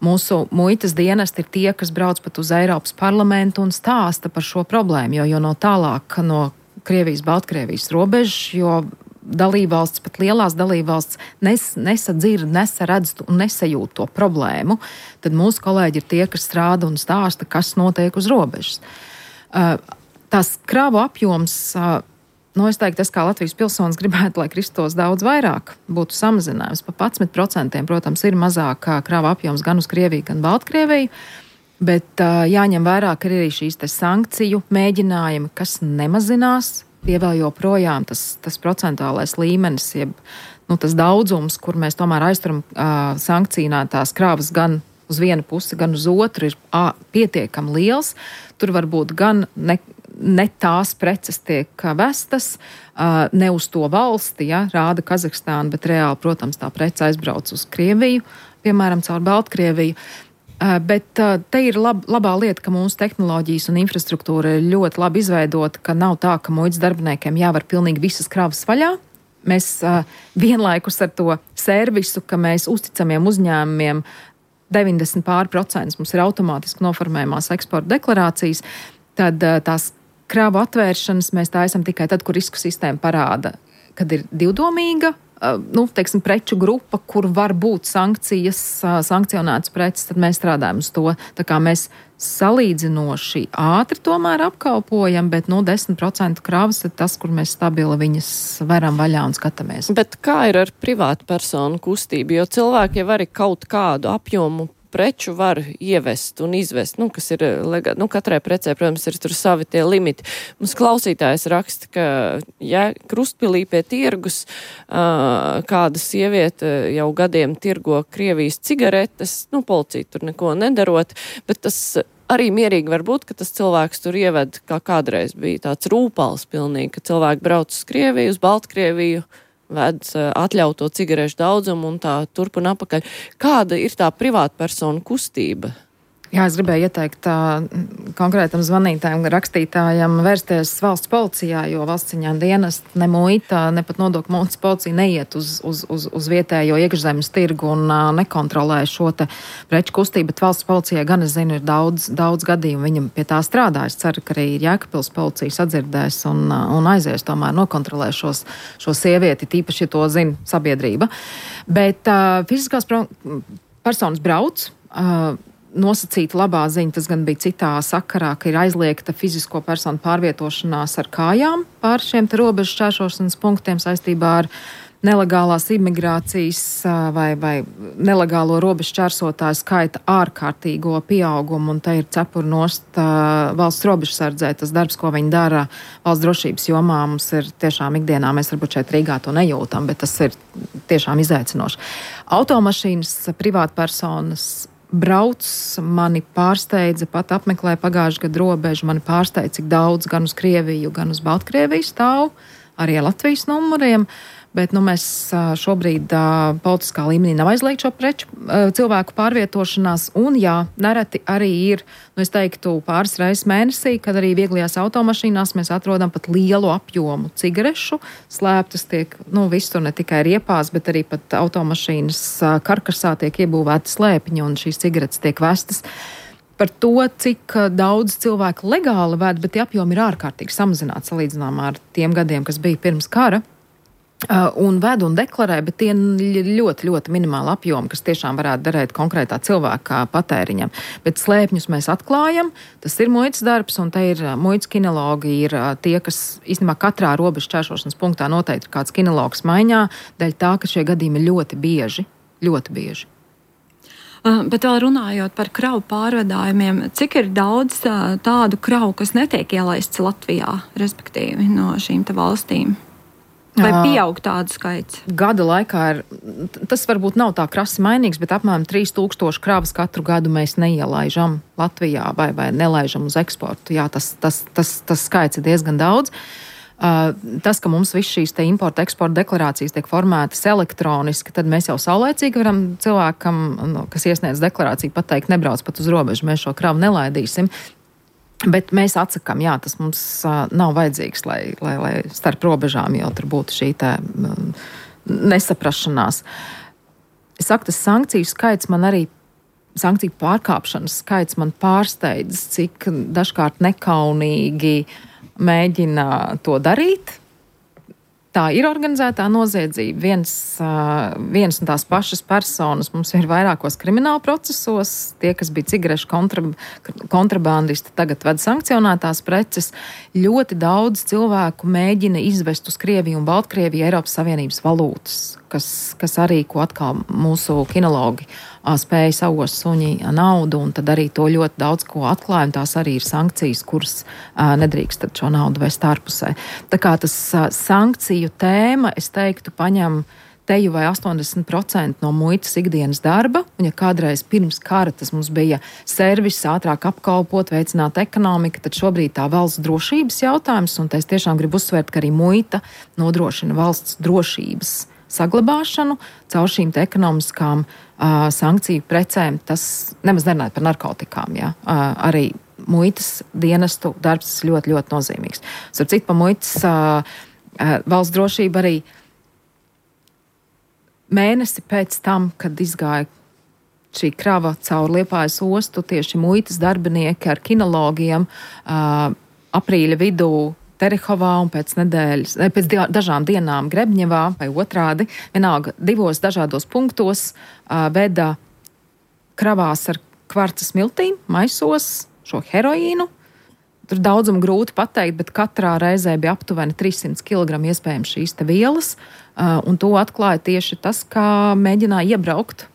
S3: Mūsu muitas dienesti ir tie, kas brauc pat uz Eiropas parlamentu un stāsta par šo problēmu, jo, jo no tālāk no Krievijas, Baltkrievijas robežas, jo dalībvalsts, pat lielās dalībvalsts nes, nesadzird, nesaredz un nesajūt to problēmu, tad mūsu kolēģi ir tie, kas strāda un stāsta, kas notiek uz robežas. Tās kravu apjoms, nu, es teiktu, tas kā Latvijas pilsonis gribētu, lai kristos daudz vairāk būtu samazinājums. Pa padsmit procentiem, protams, ir mazāk krava apjoms gan uz Krieviju, gan Baltkrieviju, bet uh, jāņem vērā, ka ir arī šīs te sankciju mēģinājumi, kas nemazinās, tie vēl joprojām tas, tas procentuālais līmenis, jeb nu, tas daudzums, kur mēs tomēr aizturam uh, sankcionētās kravas gan uz vienu pusi, gan uz otru, ir uh, pietiekami liels. Tur var būt gan ne, ne tās preces tiek vestas, uh, ne uz to valsti, ja, rāda Kazahstāna, bet reāli, protams, tā prece aizbrauc uz Krieviju, piemēram, caur Baltkrieviju. Uh, bet uh, te ir lab, labā lieta, ka mūsu tehnoloģijas un infrastruktūra ir ļoti labi izveidota, ka nav tā, ka muitas darbiniekiem jāvar pilnīgi visas kravas vaļā. Mēs uh, vienlaikus ar to servisu, ka mēs uzticamiem uzņēmumiem deviņdesmit pār procents mums ir automātiski noformējumās eksporta deklarācijas, tad uh, tās kravu atvēršanas mēs taisam tikai tad, kur risku sistēma parāda, kad ir divdomīga, uh, nu, teiksim, preču grupa, kur var būt sankcijas, uh, sankcionētas preces, tad mēs strādājam uz to. Tā kā mēs salīdzinoši ātri tomēr apkalpojam, bet, nu, desmit procenti kravas ir tas, kur mēs stabili viņas varam vaļā un skatāmies.
S2: Bet kā ir ar privātu personu kustību? Jo cilvēki jau arī kaut kādu apjomu preču var ievest un izvest, nu, kas ir legāli. Nu, katrai precē, protams, ir tur savi tie limiti. Mums klausītājs raksta, ka, ja Krustpilī pie tirgus uh, kāda sieviete jau gadiem tirgo Krievijas cigaretes, nu, policija tur neko nedarot, bet tas arī mierīgi var būt, ka tas cilvēks tur ieved, kā kādreiz bija tāds rūpals pilnīgi, ka cilvēki brauc uz Krieviju, uz Baltkrieviju, ved atļauto cigarešu daudzumu un tā turp un apakaļ. Kāda ir tā privāta persona kustība?
S3: Jā, es gribēju ieteikt tā, konkrētam zvanītājam, rakstītājam vērsties valsts policijā, jo valsts ciņā dienas ne muita, ne pat nodokļu muitas policija neiet uz, uz, uz, uz vietējo iekšzemes tirgu un uh, nekontrolē šo te preču kustību, bet valsts policijai gan, es zinu, ir daudz, daudz gadījumu, viņam pie tā strādā. Es ceru, ka arī Jēkabpils policija sadzirdēs un, uh, un aizies tomēr nokontrolē šos, šo sievieti, tīpaši, ja to zina sabiedrība. Bet uh, fiziskās pro, personas brauc, uh, nosacīta labā ziņa, tas gan bija citā sakarā, ka ir aizliegta fizisko personu pārvietošanās ar kājām pār šiem te robežu šķēršošanas punktiem saistībā ar nelegālās imigrācijas vai, vai nelegālo robežu šķērsotāju skaita ārkārtīgo pieaugumu, un te ir cepuri nost uh, valsts robežsardzē, tas darbs, ko viņi dara valsts drošības jomā, mums ir tiešām ikdienā, mēs varbūt šeit Rīgā to nejūtam, bet tas ir tiešām izaicinoši. Automašīnas, privātpersonas brauc, mani pārsteidza, pat apmeklēja pagājušā gada robežu, mani pārsteidza, cik daudz gan uz Krieviju, gan uz Baltkrieviju stāv, arī ar Latvijas numuriem, bet nu, mēs šobrīd uh, politiskā līmenī nav aizliegt šo preču uh, cilvēku pārvietošanās, un jā, nereti arī ir, nu es teiktu, pāris reizes mēnesī, kad arī vieglajās automašīnās mēs atrodam pat lielu apjomu cigarešu, slēptas tiek, nu visur ne tikai riepās, bet arī pat automašīnas uh, karkasā tiek iebūvēti slēpiņi, un šīs cigaretes tiek vestas. Par to, cik daudz cilvēku legāli ved, bet tie apjomi ir ārkārtīgi samazināti salīdzinājumā ar tiem gadiem, kas bija pirms kara. Uh, un ved un deklarē, bet tie ir ļoti, ļoti minimāli apjomi, kas tiešām varētu darēt konkrētā cilvēka patēriņam. Bet slēpņus mēs atklājam, tas ir muitas darbs, un te ir muitas kinologi, ir tie, kas īstenībā katrā robežu šķēršošanas punktā noteikti ir kāds kinologs maiņā, dēļ tā, ka šie gadījumi ir ļoti bieži, ļoti bieži.
S4: Uh, bet vēl runājot par kravu pārvadājumiem, cik ir daudz uh, tādu kravu, kas netiek ielaists Latvijā, respektīvi no šīm te valstīm? Vai pieaug tādu skaits?
S3: Gada laikā ir, tas varbūt nav tā krasi mainīgs, bet apmēram trīs tūkstoši kravas katru gadu mēs neielaižam Latvijā vai, vai nelaižam uz eksportu. Jā, tas, tas, tas, tas skaits ir diezgan daudz. Uh, tas, ka mums viss šīs te importa eksporta deklarācijas tiek formētas elektroniski, tad mēs jau saulēcīgi varam cilvēkam, kas iesniedz deklarāciju, pateikt, nebrauc pat uz robežu, mēs šo kravu nelaidīsim. Bet mēs atsakām, jā, tas mums uh, nav vajadzīgs, lai, lai, lai starp robežām jau tur būtu šī tā um, nesaprašanās. Es saku, tas sankciju skaits man arī, sankciju pārkāpšanas skaits man pārsteidz, cik dažkārt nekaunīgi mēģina to darīt. Tā ir organizētā noziedzība. Viens, uh, viens un tās pašas personas mums ir vairākos krimināla procesos. Tie, kas bija cigarešu kontra, kontrabandisti, tagad ved sankcionētās preces. Ļoti daudz cilvēku mēģina izvest uz Krieviju un Baltkrieviju Eiropas Savienības valūtas, kas, kas arī, ko atkal mūsu kinologi uh, spēja savos suņi naudu, un tad arī to ļoti daudz ko atklāja, un tās arī ir sankcijas, kuras uh, nedrīkst tad šo naudu vest ārpusē. Tā kā tas uh, sankciju tēma, es teiktu, paņem teju vai astoņdesmit procenti no muitas ikdienas darba, un ja kādreiz pirms kara tas mums bija servis, ātrāk apkalpot, veicināt ekonomiku, tad šobrīd tā valsts drošības jautājums, un es tiešām gribu uzsvērt, ka arī muita nodrošina valsts drošības saglabāšanu caur šīm te ekonomiskām uh, sankciju precēm. Tas nemaz nerunājot par narkotikām, jā. Uh, arī muitas dienestu darbs ļoti, ļoti nozīmīgs. Starp citu, pa muitas uh, uh, valsts drošība arī mēnesi pēc tam, kad izgāja šī krava caur Liepājas ostu, tieši muitas darbinieki ar kinologiem uh, aprīļa vidū Terehovā un pēc nedēļas, pēc dažām dienām Grebņevā vai otrādi, vienalga divos dažādos punktos uh, veda kravās ar kvarca smiltīm, maisos šo heroīnu. Tur daudzumu grūti pateikt, bet katrā reizē bija aptuveni trīssimti kilogrami iespējams šīs te vielas, uh, un to atklāja tieši tas, kā mēģināja iebraukt uh,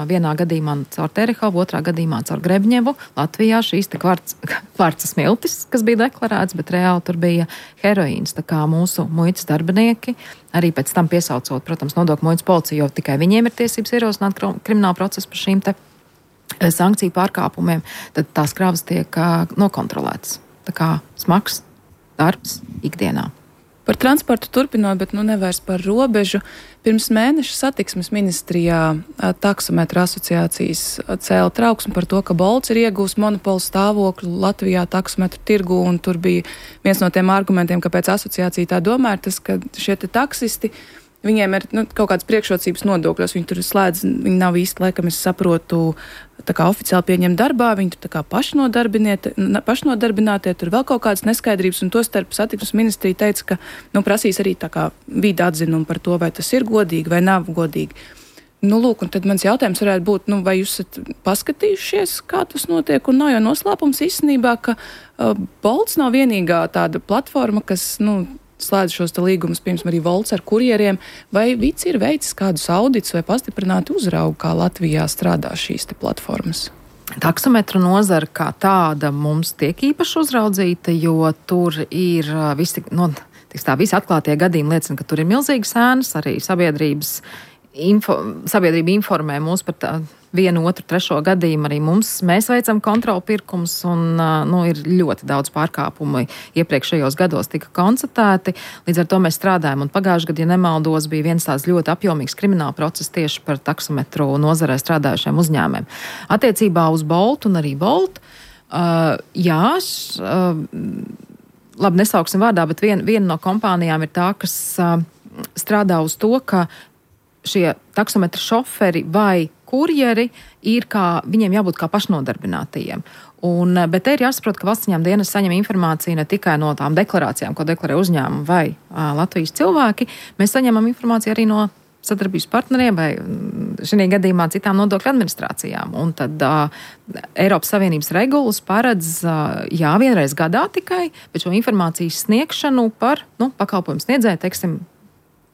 S3: vienā gadījumā caur Terehovu, otrā gadījumā caur Grebņevu. Latvijā šīs te kvarca, kvarca smiltis, kas bija deklarēts, bet reāli tur bija heroīns. Tā kā mūsu muitas darbinieki, arī pēc tam piesaucot, protams, nodokļu muitas policiju, jo tikai viņiem ir tiesības ierosināt kriminālu procesu par šīm te sankciju pārkāpumiem, tad tās kravas tiek uh, nokontrolētas. Tā kā smags darbs ikdienā.
S5: Par transportu turpinot, bet nu nevairs par robežu. Pirms mēneša satiksmes ministrijā taksometra asociācijas cēla trauksmi par to, ka Bolts ir iegūst monopolu stāvokli Latvijā taksometru tirgu, un tur bija viens no tiem argumentiem, kāpēc asociācija tā domā, ir tas, ka šie te taksisti, viņiem ir nu, kaut kādas priekšrocības nodokļos, viņi tur slēdz, viņi nav īsti, laikam es saprotu, tā kā oficiāli pieņem darbā, viņi tur tā kā pašnodarbinātie, tur vēl kaut kādas neskaidrības, un to starp satiksmes ministrija teica, ka nu, prasīs arī tā kā vīda atzinumu par to, vai tas ir godīgi vai nav godīgi. Nu, lūk, un tad mans jautājums varētu būt, nu, vai jūs esat paskatījušies, kā tas notiek, un nav jau noslēpums īstenībā, ka uh, Bolts nav vienīgā tāda platforma, kas, nu, slēdz šos līgumus, pirms arī Volts ar kurjeriem, vai Vici ir veicis kādus audits vai pastiprināti uzraugu, kā Latvijā strādā šīs te platformas?
S3: Taksometru nozara kā tāda mums tiek īpaši uzraudzīta, jo tur ir visi, no, tiks tā, visi atklātie gadījumi liecina, ka tur ir milzīgas ēnas, arī sabiedrības info, sabiedrība informē mūs par tā, vienu, otru, trešo gadījumu arī mums. Mēs veicam kontrolu pirkums, un nu, ir ļoti daudz pārkāpumu iepriekšējos gados tika konstatēti. Līdz ar to mēs strādājam, un pagājušajā gadā, ja nemaldos, bija viens tāds ļoti apjomīgs krimināla process tieši par taksometru nozarē strādājušiem uzņēmumiem. Attiecībā uz Boltu un arī Volt, uh, jā, š, uh, labi, nesauksim vārdā, bet vien, viena no kompānijām ir tā, kas uh, strādā uz to, ka šie taksometra šoferi vai kurjeri ir kā, viņiem jābūt kā pašnodarbinātajiem. Un, bet te ir jāsaprot, ka valsts ieņēmuma dienas saņem informāciju ne tikai no tām deklarācijām, ko deklarē uzņēmumi vai a, Latvijas cilvēki, mēs saņemam informāciju arī no sadarbības partneriem vai šī gadījumā citām nodokļu administrācijām. Un tad a, Eiropas Savienības regulas paredz, a, jā, vienreiz gadā tikai, bet šo informācijas sniegšanu par nu, pakalpojumu sniedzēju, teiksim,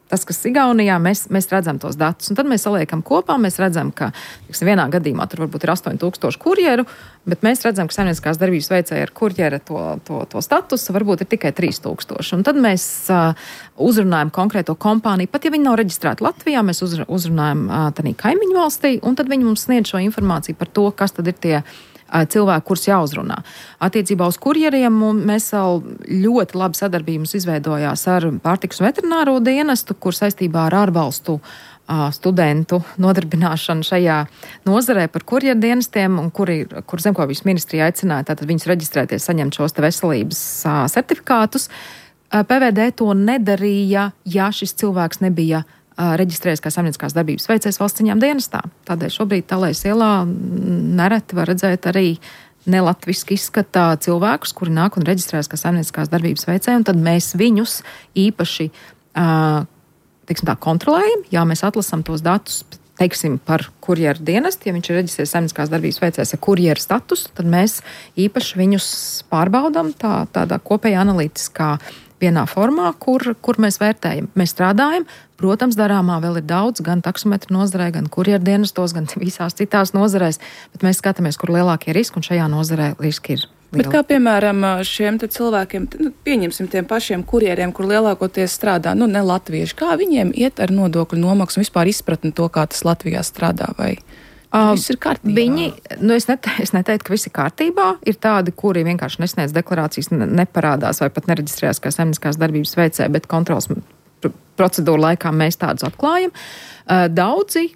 S3: tas, kas Igaunijā, mēs, mēs redzam tos datus, un tad mēs saliekam kopā, mēs redzam, ka tiksim, vienā gadījumā tur varbūt ir astoņi tūkstoši kurjeru, bet mēs redzam, ka saimnieciskās darbības veicēja ar kurjera to, to, to statusu, varbūt ir tikai trīs tūkstoši. Un tad mēs uh, uzrunājam konkrēto kompāniju, pat ja viņi nav reģistrēti Latvijā, mēs uzr, uzrunājam uh, tādā kaimiņu valstī, un tad viņi mums sniedz šo informāciju par to, kas tad ir tie cilvēki, kurus jāuzrunā. Attiecībā uz kurjeriem mēs vēl ļoti labi sadarbības izveidojās ar pārtikas un veterināro dienestu, kur saistībā ar ārvalstu studentu nodarbināšanu šajā nozarē par kurjerdienestiem, un kuri, kur Zemkopības ministrija aicināja tātad viņus reģistrēties, saņemt šos te veselības certifikātus. P V D to nedarīja, ja šis cilvēks nebija reģistrējies kā saimnieciskās darbības veicējs valsts ziņām dienestā. Tādēļ šobrīd Talējas ielā nereti var redzēt arī nelatviski izskatā cilvēkus, kuri nāk un reģistrējas kā saimnieciskās darbības veicēji, un tad mēs viņus īpaši teiksim tā, kontrolējam, jā, mēs atlasam tos datus, teiksim, par kurjeru dienestu, ja viņš ir reģistrējies saimnieciskās darbības veicējs ar kurjeru statusu, tad mēs īpaši viņus pārbaudam tā, tādā kopējā analītiskā vienā formā, kur, kur mēs vērtējam. Mēs strādājam, protams, darāmā vēl ir daudz, gan taksometru nozarē, gan kurjeru dienestos, gan visās citās nozarēs, bet mēs skatāmies, kur lielākie riski, un šajā nozarē riski ir lieli.
S5: Bet kā piemēram šiem te cilvēkiem, nu, pieņemsim tiem pašiem kurjeriem, kur lielākoties strādā, nu, ne latvieši, kā viņiem iet ar nodokļu nomaksu un vispār izpratni to, kā tas Latvijā strādā, vai uh, viss ir kārtībā?
S3: Viņi, nu, es, nete, es neteiktu, ka viss ir kārtībā. Ir tādi, kuri vienkārši nesniedz deklarācijas, neparādās vai pat nereģistrējās kā saimnieciskās darbības veicēji, bet kontrols procedūru laikā mēs tādus atklājam. Uh, daudzi,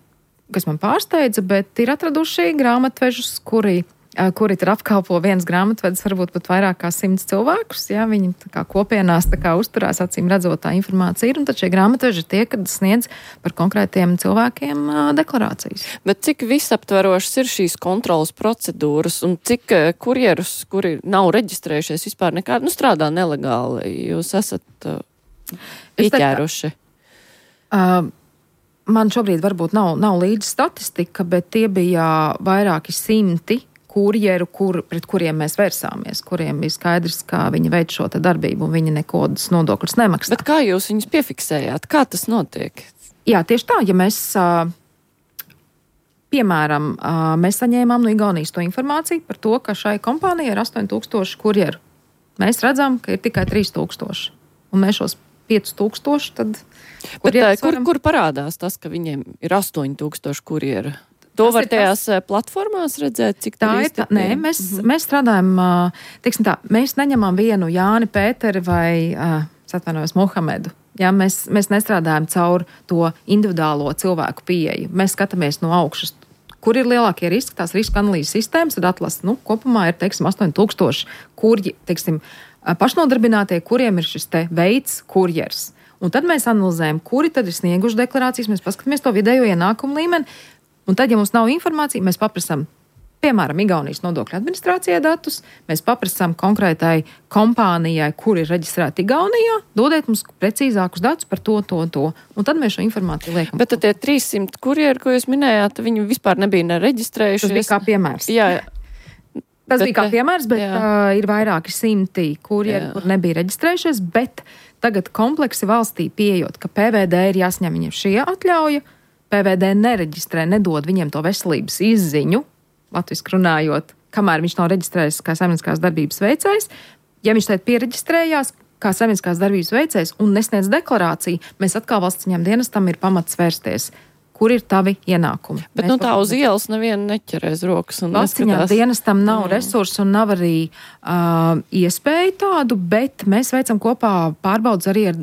S3: kas man pārsteidza, bet ir atraduši grāmatvežus, kuri kuri tur apkalpo viens grāmatvedis, varbūt pat vairāk kā simts cilvēkus. Jā, viņi tā kā kopienās tā kā uzturās, acīm redzot, tā informācija ir, un tad šie grāmatveži ir tie, kad sniedz par konkrētiem cilvēkiem deklarācijas.
S2: Bet cik visaptverošas ir šīs kontrolas procedūras, un cik kurjerus, kuri nav reģistrējušies vispār nekādi, nu strādā nelegāli, jūs esat uh, pieķēruši?
S3: Uh, man šobrīd varbūt nav, nav līdz statistika, bet tie bija vairāki simti kurjeru, kur, pret kuriem mēs vērsāmies, kuriem bija skaidrs, kā viņi veic šo te darbību, un viņi nekodas nodokļus nemaksā.
S2: Bet kā jūs viņus piefiksējāt? Kā tas notiek?
S3: Jā, tieši tā, ja mēs, piemēram, mēs saņēmām no Igaunijas to informāciju par to, ka šai kompānijai ir astoņi tūkstoši kurjeru. Mēs redzam, ka ir tikai trīs tūkstoši, un mēs šos pieci tūkstoši, tad
S2: Bet, kur, varam... kur parādās tas, ka viņiem ir astoņi tūkstoši kurjeru? To tas var tajās tas... platformās redzēt, cik tā ir. Tā,
S3: nē, mēs, mm-hmm. mēs strādājam, teiksim tā, mēs neņemam vienu Jāni, Pēteri vai, es atvainojos, Mohamedu. Jā, mēs, mēs nestrādājam caur to individuālo cilvēku pieeju. Mēs skatāmies no augšas, kur ir lielākie riski, tās riska analīzes sistēmas, tad atlas, nu, kopumā ir, teiksim, astoņi tūkstoši kurji, teiksim, pašnodarbinātie, kuriem ir šis te veids kurjers. Un tad mēs analizējam, kuri tad ir snieguši deklarācijas, mēs paskatāmies to vidējo ienākumu līmeni. Un tad, ja mums nav informācija, mēs paprasam, piemēram, Igaunijas nodokļu administrācijai datus, mēs paprasam konkrētai kompānijai, kur ir reģistrēta Igaunijā, dodiet mums precīzākus datus par to, to, to. Un tad mēs šo informāciju liekam.
S2: Bet tad tie trīssimt kurjeri, ko jūs minējāt, viņi vispār nebija nereģistrējušies.
S3: Tas bija kā piemērs.
S2: Jā.
S3: Tas bet, bija kā piemērs, bet uh, ir vairāki simti kurjeri, kur nebija reģistrējušies, bet tagad kompleksi valstī pieejot, ka P V D ir jāsņem viņiem šie atļauja, P V D nereģistrē, nedod viņiem to veselības izziņu, latviski runājot, kamēr viņš nav reģistrējis kā saimnieciskās darbības veicējs. Ja viņš tagad piereģistrējās kā saimnieciskās darbības veicējs un nesniedz deklarāciju, mēs atkal valsts ziņām dienestam ir pamats vērsties. Kur ir tavi ienākumi?
S2: Bet mēs nu tā uz ielas nevienu neķerēs rokas un
S3: valsts ziņām dienestam nav mm. resursu un nav arī uh, iespēju tādu, bet mēs veicam kopā pārbaudas arī ar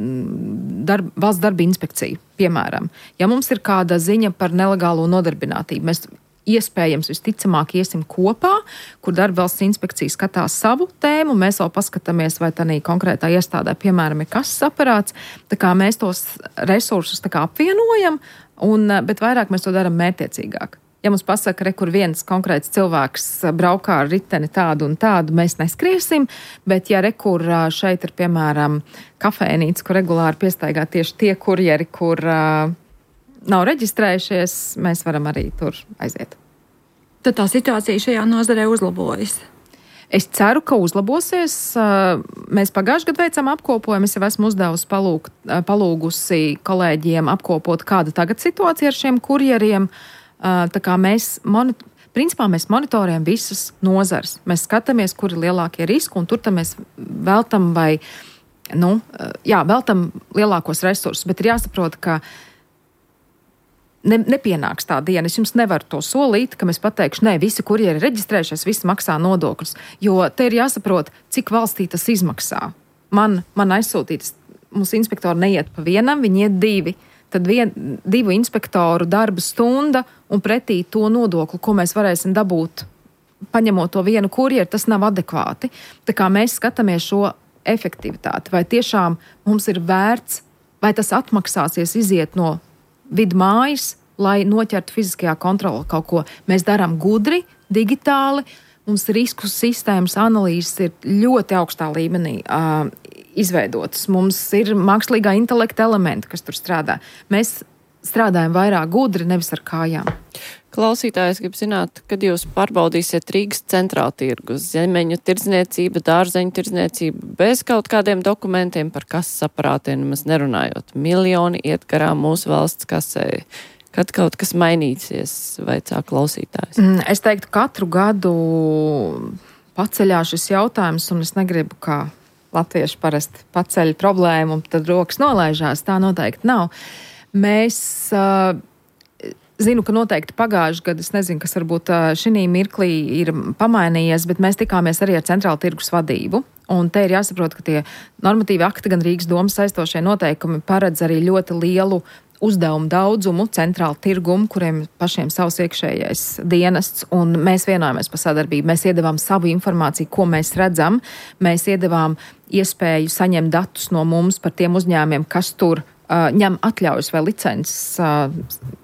S3: darb, valsts darba inspekciju, piemēram. Ja mums ir kāda ziņa par nelegālo nodarbinātību, mēs iespējams visticamāk iesim kopā, kur darba valsts inspekcija skatās savu tēmu, mēs vēl paskatāmies, vai tādā konkrētā iestādē, piemēram, ir kases aparāts, tā kā mēs tos resursus tā kā apvienojam, un, bet vairāk mēs to darām mērķiecīgāk. Ja mums pasaka, re, kur viens konkrēts cilvēks braukā ar riteni tādu un tādu, mēs neskriesim, bet ja re, kur šeit ir, piemēram, kafēnīca, kur regulāri piestaigā tieši tie kurjeri, kur uh, nav reģistrējušies, mēs varam arī tur aiziet.
S4: Tad tā situācija šajā nozarē uzlabojas?
S3: Es ceru, ka uzlabosies. Mēs pagājušajā gadā veicam apkopojumu. Es jau esmu uzdevusi palūg, palūgusi kolēģiem apkopot, kāda tagad situācija ar šiem kurjeriem. Tā kā mēs, monit- principā mēs monitorējam visas nozares. Mēs skatāmies, kur ir lielākie riski, un tur mēs veltam vai, nu, jā, veltam lielākos resursus. Bet ir jāsaprot, ka Ne, nepienāks tā diena. Es jums nevaru to solīt, ka mēs pateikšu, nē, visi kurjeri ir reģistrējušies, visi maksā nodokļus. Jo te ir jāsaprot, cik valstī tas izmaksā. Man, man aizsūtītas, mums inspektori neiet pa vienam, viņi iet divi. tad vien, divu inspektoru darba stunda un pretī to nodokli, ko mēs varēsim dabūt, paņemot to vienu kurjeru, tas nav adekvāti. Tā kā mēs skatāmies šo efektivitāti, vai tiešām mums ir vērts, vai tas atmaksāsies iziet no vidmājas, lai noķertu fiziskajā kontrolē kaut ko. Mēs darām gudri, digitāli, mums risku sistēmas analīzes ir ļoti augstā līmenī uh, izveidotas. Mums ir mākslīgā intelekta elementi, kas tur strādā. Mēs strādājam vairāk gudri, nevis ar kājām.
S2: Klausītājs grib zināt, kad jūs pārbaudīsiet Rīgas centrāla tirgus, zemeņu tirdzniecība, dārzeņu tirdzniecība, bez kaut kādiem dokumentiem par kases aparātiem nemaz nerunājot. Miljoni iet garām mūsu valsts kasē. Kad kaut kas mainīsies, vaicā klausītājs?
S3: Es teiktu, katru gadu paceļās šis jautājums, un es negribu, kā latvieši parasti paceļ problēmu, un tad rokas nolaižās. Tā noteikti nav. Mēs uh, zinu, ka noteikti pagājuši gadu, es nezinu, kas varbūt uh, šī mirklī ir pamainījies, bet mēs tikāmies arī ar centrāla tirgus vadību. Un te ir jāsaprot, ka tie normatīvi akti, gan Rīgas domas saistošie noteikumi paredz arī ļoti lielu uzdevumu daudzumu, centrālu tirgumu, kuriem pašiem savs iekšējais dienests, un mēs vienojamies par sadarbību. Mēs iedavām savu informāciju, ko mēs redzam. Mēs iedavām iespēju saņemt datus no mums par tiem uzņēmumiem, kas tur uh, ņem atļaujas vai licences uh,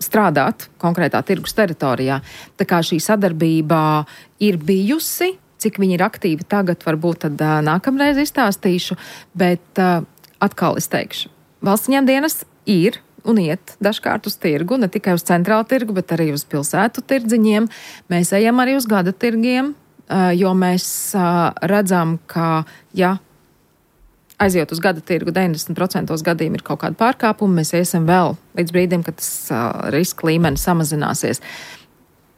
S3: strādāt konkrētā tirgus teritorijā. Tā kā šī sadarbība ir bijusi, cik viņi ir aktīvi tagad, varbūt tad uh, nākamreiz izstāstīšu, bet uh, atkal es teikšu, valsts ņem dienests ir un iet dažkārt uz tirgu, ne tikai uz centrālu tirgu, bet arī uz pilsētu tirdziņiem. Mēs ejam arī uz gada tirgiem, jo mēs redzam, ka, ja aiziet uz gada tirgu, deviņdesmit procenti gadījumi ir kaut kāda pārkāpuma, mēs iesim vēl līdz brīdim, kad tas riska līmenis samazināsies.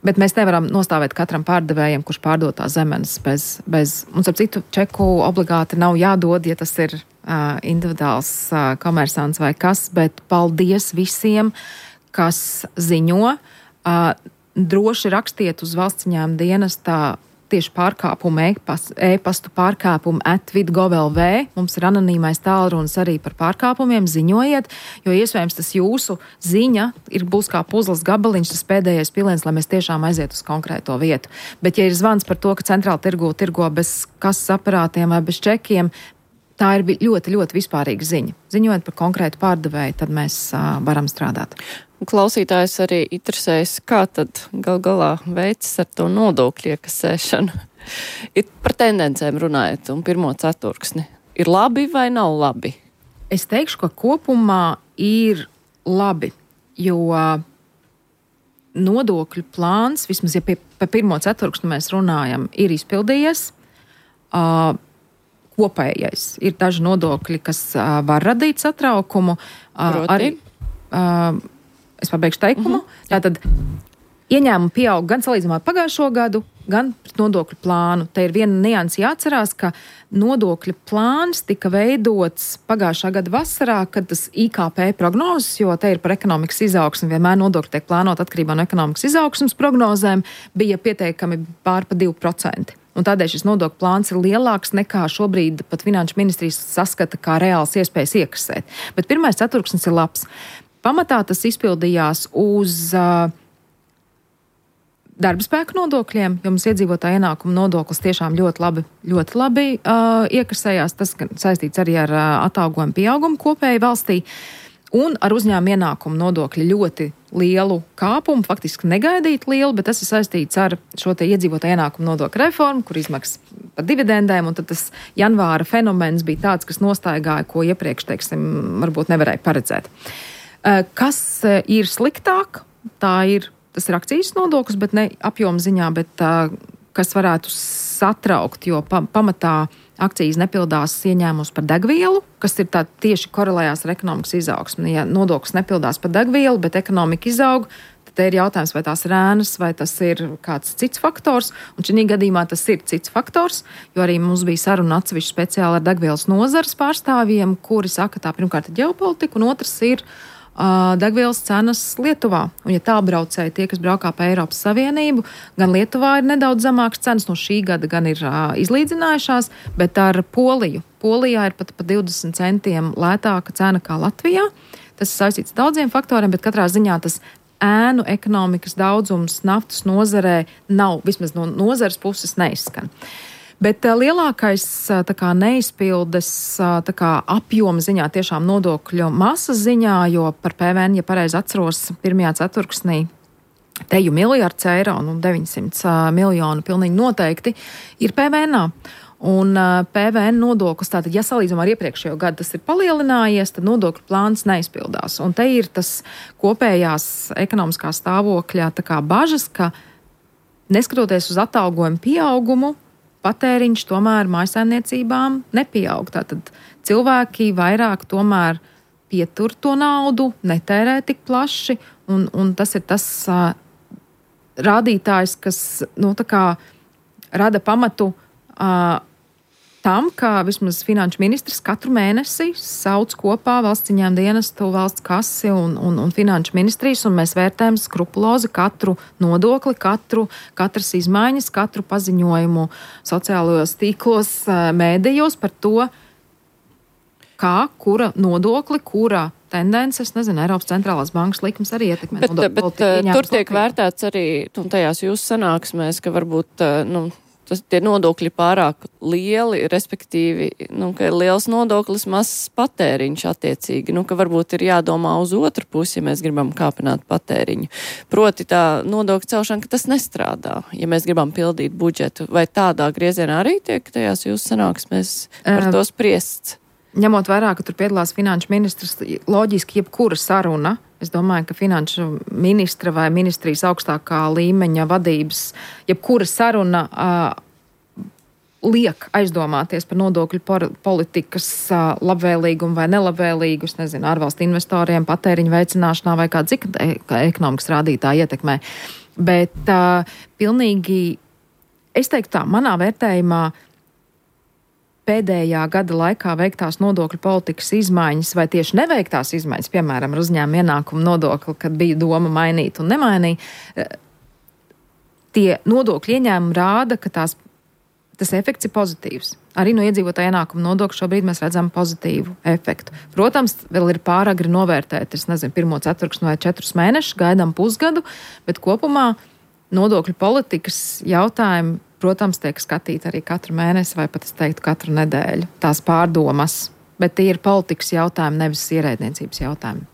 S3: Bet mēs nevaram nostāvēt katram pārdevējam, kurš pārdod tās zemenes bez, bez, un ar citu čeku obligāti nav jādod, ja tas ir uh, individuāls uh, komersants vai kas, bet paldies visiem, kas ziņo. Uh, droši rakstiet uz valsts ieņēmuma dienestā tieši pārkāpumu, e-pastu pārkāpumu at vidgov punkt lv. Mums ir anonīmais tālrunis arī par pārkāpumiem, ziņojiet, jo iespējams tas jūsu ziņa ir būs kā puzles gabaliņš, tas pēdējais piliens, lai mēs tiešām aiziet uz konkrēto vietu. Bet ja ir zvans par to, ka centrāla tirgu tirgo bez kases aparātiem vai bez čekiem, tā ir ļoti, ļoti vispārīga ziņa. Ziņojot par konkrētu pārdevēju, tad mēs uh, varam strādāt.
S2: Klausītājs arī interesējas, kā tad gal galā veicis ar to nodokļu iekasēšanu. Ir par tendencēm runājot un pirmo ceturksni. Ir labi vai nav labi?
S3: Es teikšu, ka kopumā ir labi, jo nodokļu plāns, vismaz ja pie, par pirmo ceturksni mēs runājam, ir izpildījies. Uh, kopējais. Ir daži nodokļi, kas uh, var radīt satraukumu. Uh, arī, uh, es pabeigšu teikumu. Mm-hmm. Tātad ieņēmumi pieaug gan salīdzinājumā ar pagājušo gadu, gan pret nodokļu plānu. Te ir viena nianse jāatcerās, ka nodokļu plāns tika veidots pagājušā gada vasarā, kad tas I K P prognozes, jo te ir par ekonomikas izaugsmi, vienmēr nodokļi tiek plānot atkarībā no ekonomikas izaugsmas prognozēm, bija pietiekami pār pa divi procenti. Un tādēļ šis nodokļu plāns ir lielāks nekā šobrīd pat Finanšu ministrijas saskata kā reāls iespējas iekasēt. Bet pirmais ceturksnis ir labs. Pamatā tas izpildījās uz uh, darba spēku nodokļiem, jo mums iedzīvotāja ienākuma nodoklis tiešām ļoti labi, ļoti labi uh, iekasējās. Tas saistīts arī ar uh, atalgojumu pieaugumu kopēji valstī. Un ar uzņēmumu ienākumu nodokļu ļoti lielu kāpumu, faktiski negaidīt lielu, bet tas ir saistīts ar šo te iedzīvotāju ienākumu nodokļu reformu, kur izmaksas par dividendēm, un tad tas janvāra fenomens bija tāds, kas nostaigāja, ko iepriekš, teiksim, varbūt nevarēja paredzēt. Kas ir sliktāk? Tā ir, tas ir akcijas nodoklis, bet ne apjoma ziņā, bet kas varētu satraukt, jo pa, pamatā akcijas nepildās ieņēmumus par degvielu, kas ir tā tieši korelējās ar ekonomikas izaugsmi. Ja nodoklis nepildās par degvielu, bet ekonomika izaug, tad te ir jautājums, vai tās ir ēnas, vai tas ir kāds cits faktors. Un šī gadījumā tas ir cits faktors, jo arī mums bija saruna atsevišķi speciāli ar degvielas nozares pārstāvjiem, kuri saka, tā pirmkārt ir ģeopolitika, un otrs ir uh, degvielas cenas Lietuvā. Un ja tālbraucēji, tie, kas braukā pa Eiropas Savienību, gan Lietuvā ir nedaudz zemākas cenas no šī gada, gan ir uh, izlīdzinājušās, bet ar Poliju. Polijā ir pat pa divdesmit centiem lētāka cena kā Latvijā. Tas ir saistīts ar daudziem faktoriem, bet katrā ziņā tas ēnu ekonomikas daudzums naftas nozarē nav, vismaz no nozares puses neizskan. Bet uh, lielākais uh, tā kā neizpildes uh, tā kā apjoma ziņā, tiešām nodokļu masas ziņā, jo par P V N, ja pareizi atceros, pirmajā ceturksnī teju miljards eiro, nu deviņsimt miljonu pilnīgi noteikti, ir P V N-ā. Un uh, P V N nodoklis, tātad, ja salīdzinām ar iepriekšējo gadu, tas ir palielinājies, tad nodokļu plāns neizpildās. Un te ir tas kopējās ekonomiskā stāvokļa tā kā bažas, ka neskatoties uz atalgojumu pieaugumu, patēriņš tomēr mājsaimniecībām nepieaug. Tātad cilvēki vairāk tomēr pietur to naudu, netērē tik plaši, un, un tas ir tas uh, rādītājs, kas, nu, tā kā rada pamatu uh, tam, ka vismaz finanšu ministrs katru mēnesi sauc kopā valsts ieņēmuma dienestu, valsts kasi un, un, un finanšu ministrijas, un mēs vērtējam skrupulozi katru nodokli, katru, katras izmaiņas, katru paziņojumu sociālajos tīklos, uh, mēdījos par to, kā, kura nodokli, kura tendences, nezinu, Eiropas centrālās bankas likums arī ietekmē.
S2: Bet, bet tur tiek vērtēts arī, un tajās jūsu sanāksmēs, ka varbūt, nu, tas, tie nodokļi pārāk lieli, respektīvi, nu, ka ir liels nodoklis, mazs patēriņš attiecīgi, nu, ka varbūt ir jādomā uz otru pusi, ja mēs gribam kāpināt patēriņu. Proti tā nodokļu celšana, ka tas nestrādā, ja mēs gribam pildīt budžetu. Vai tādā griezienā arī tiek tajās jūsu sanāksmēs par to spriests?
S3: Ņemot vērā, ka tur piedalās finanšu ministrs, loģiski jebkura saruna, es domāju, ka finanšu ministra vai ministrijas augstākā līmeņa vadības, jebkura saruna uh, liek aizdomāties par nodokļu politikas uh, labvēlīgumu vai nelabvēlīgu, es nezinu, ārvalstu investoriem, patēriņu veicināšanā vai kāda cita ekonomikas rādītāja ietekmē. Bet uh, pilnīgi, es teiktu tā, manā vērtējumā pēdējā gada laikā veiktās nodokļu politikas izmaiņas vai tieši neveiktās izmaiņas, piemēram, ar uzņēmuma ienākumu nodokli, kad bija doma mainīt un nemainīt, tie nodokļu ieņēmumi rāda, ka tās, tas efekts ir pozitīvs. Arī no iedzīvotāja ienākuma nodokļa šobrīd mēs redzam pozitīvu efektu. Protams, vēl ir pāragri novērtēt, es nezinu, pirmo ceturksni vai četrus mēnešus, gaidām pusgadu, bet kopumā nodokļu politikas jautājumi, protams, tiek skatīti arī katru mēnesi vai pat, es teiktu, katru nedēļu. Tās pārdomas, bet tie ir politikas jautājumi, nevis ierēdniecības jautājumi.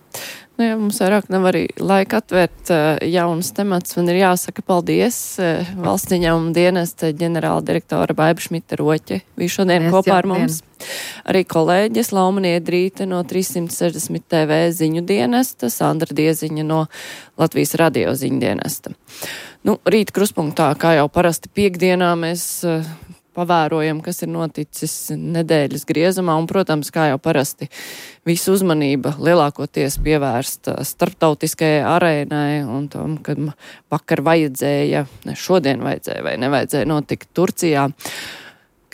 S2: Nu, ja mums vairāk nav arī laika atvērt uh, jaunas temats, man ir jāsaka paldies uh, valsts ieņēmuma dienesta ģenerāla direktora Baiba Šmita-Roķe. Bija šodien Paldies, kopā ar mums. Arī kolēģis Lauma Niedrīte no trīssimt sešdesmit T V ziņu dienesta, Sandra Dieziņa no Latvijas radio ziņu dienesta. Nu, rīt kruspunktā, kā jau parasti piekdienā, mēs uh, pavērojam, kas ir noticis nedēļas griezumā, un, protams, kā jau parasti, visu uzmanība lielākoties pievērsta starptautiskajai arēnai un tom, kad vakar vajadzēja, ne šodien vajadzēja vai nevajadzēja notikt Turcijā.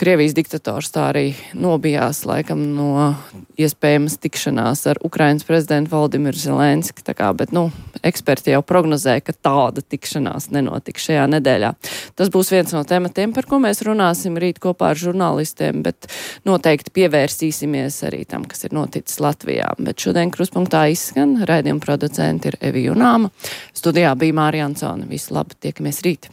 S2: Krievijas diktators tā arī nobijās laikam no iespējamas tikšanās ar Ukrainas prezidentu Valdimiru Zelenski, tā kā, bet, nu, eksperti jau prognozē, ka tāda tikšanās nenotiks šajā nedēļā. Tas būs viens no tematiem, par ko mēs runāsim rīt kopā ar žurnālistiem, bet noteikti pievērsīsimies arī tam, kas ir noticis Latvijā. Bet šodien kruspunktā izskan, raidījuma producenti ir Evi Junāma, studijā bija Mārija Ansone. Visu labi, tiekamies rīt!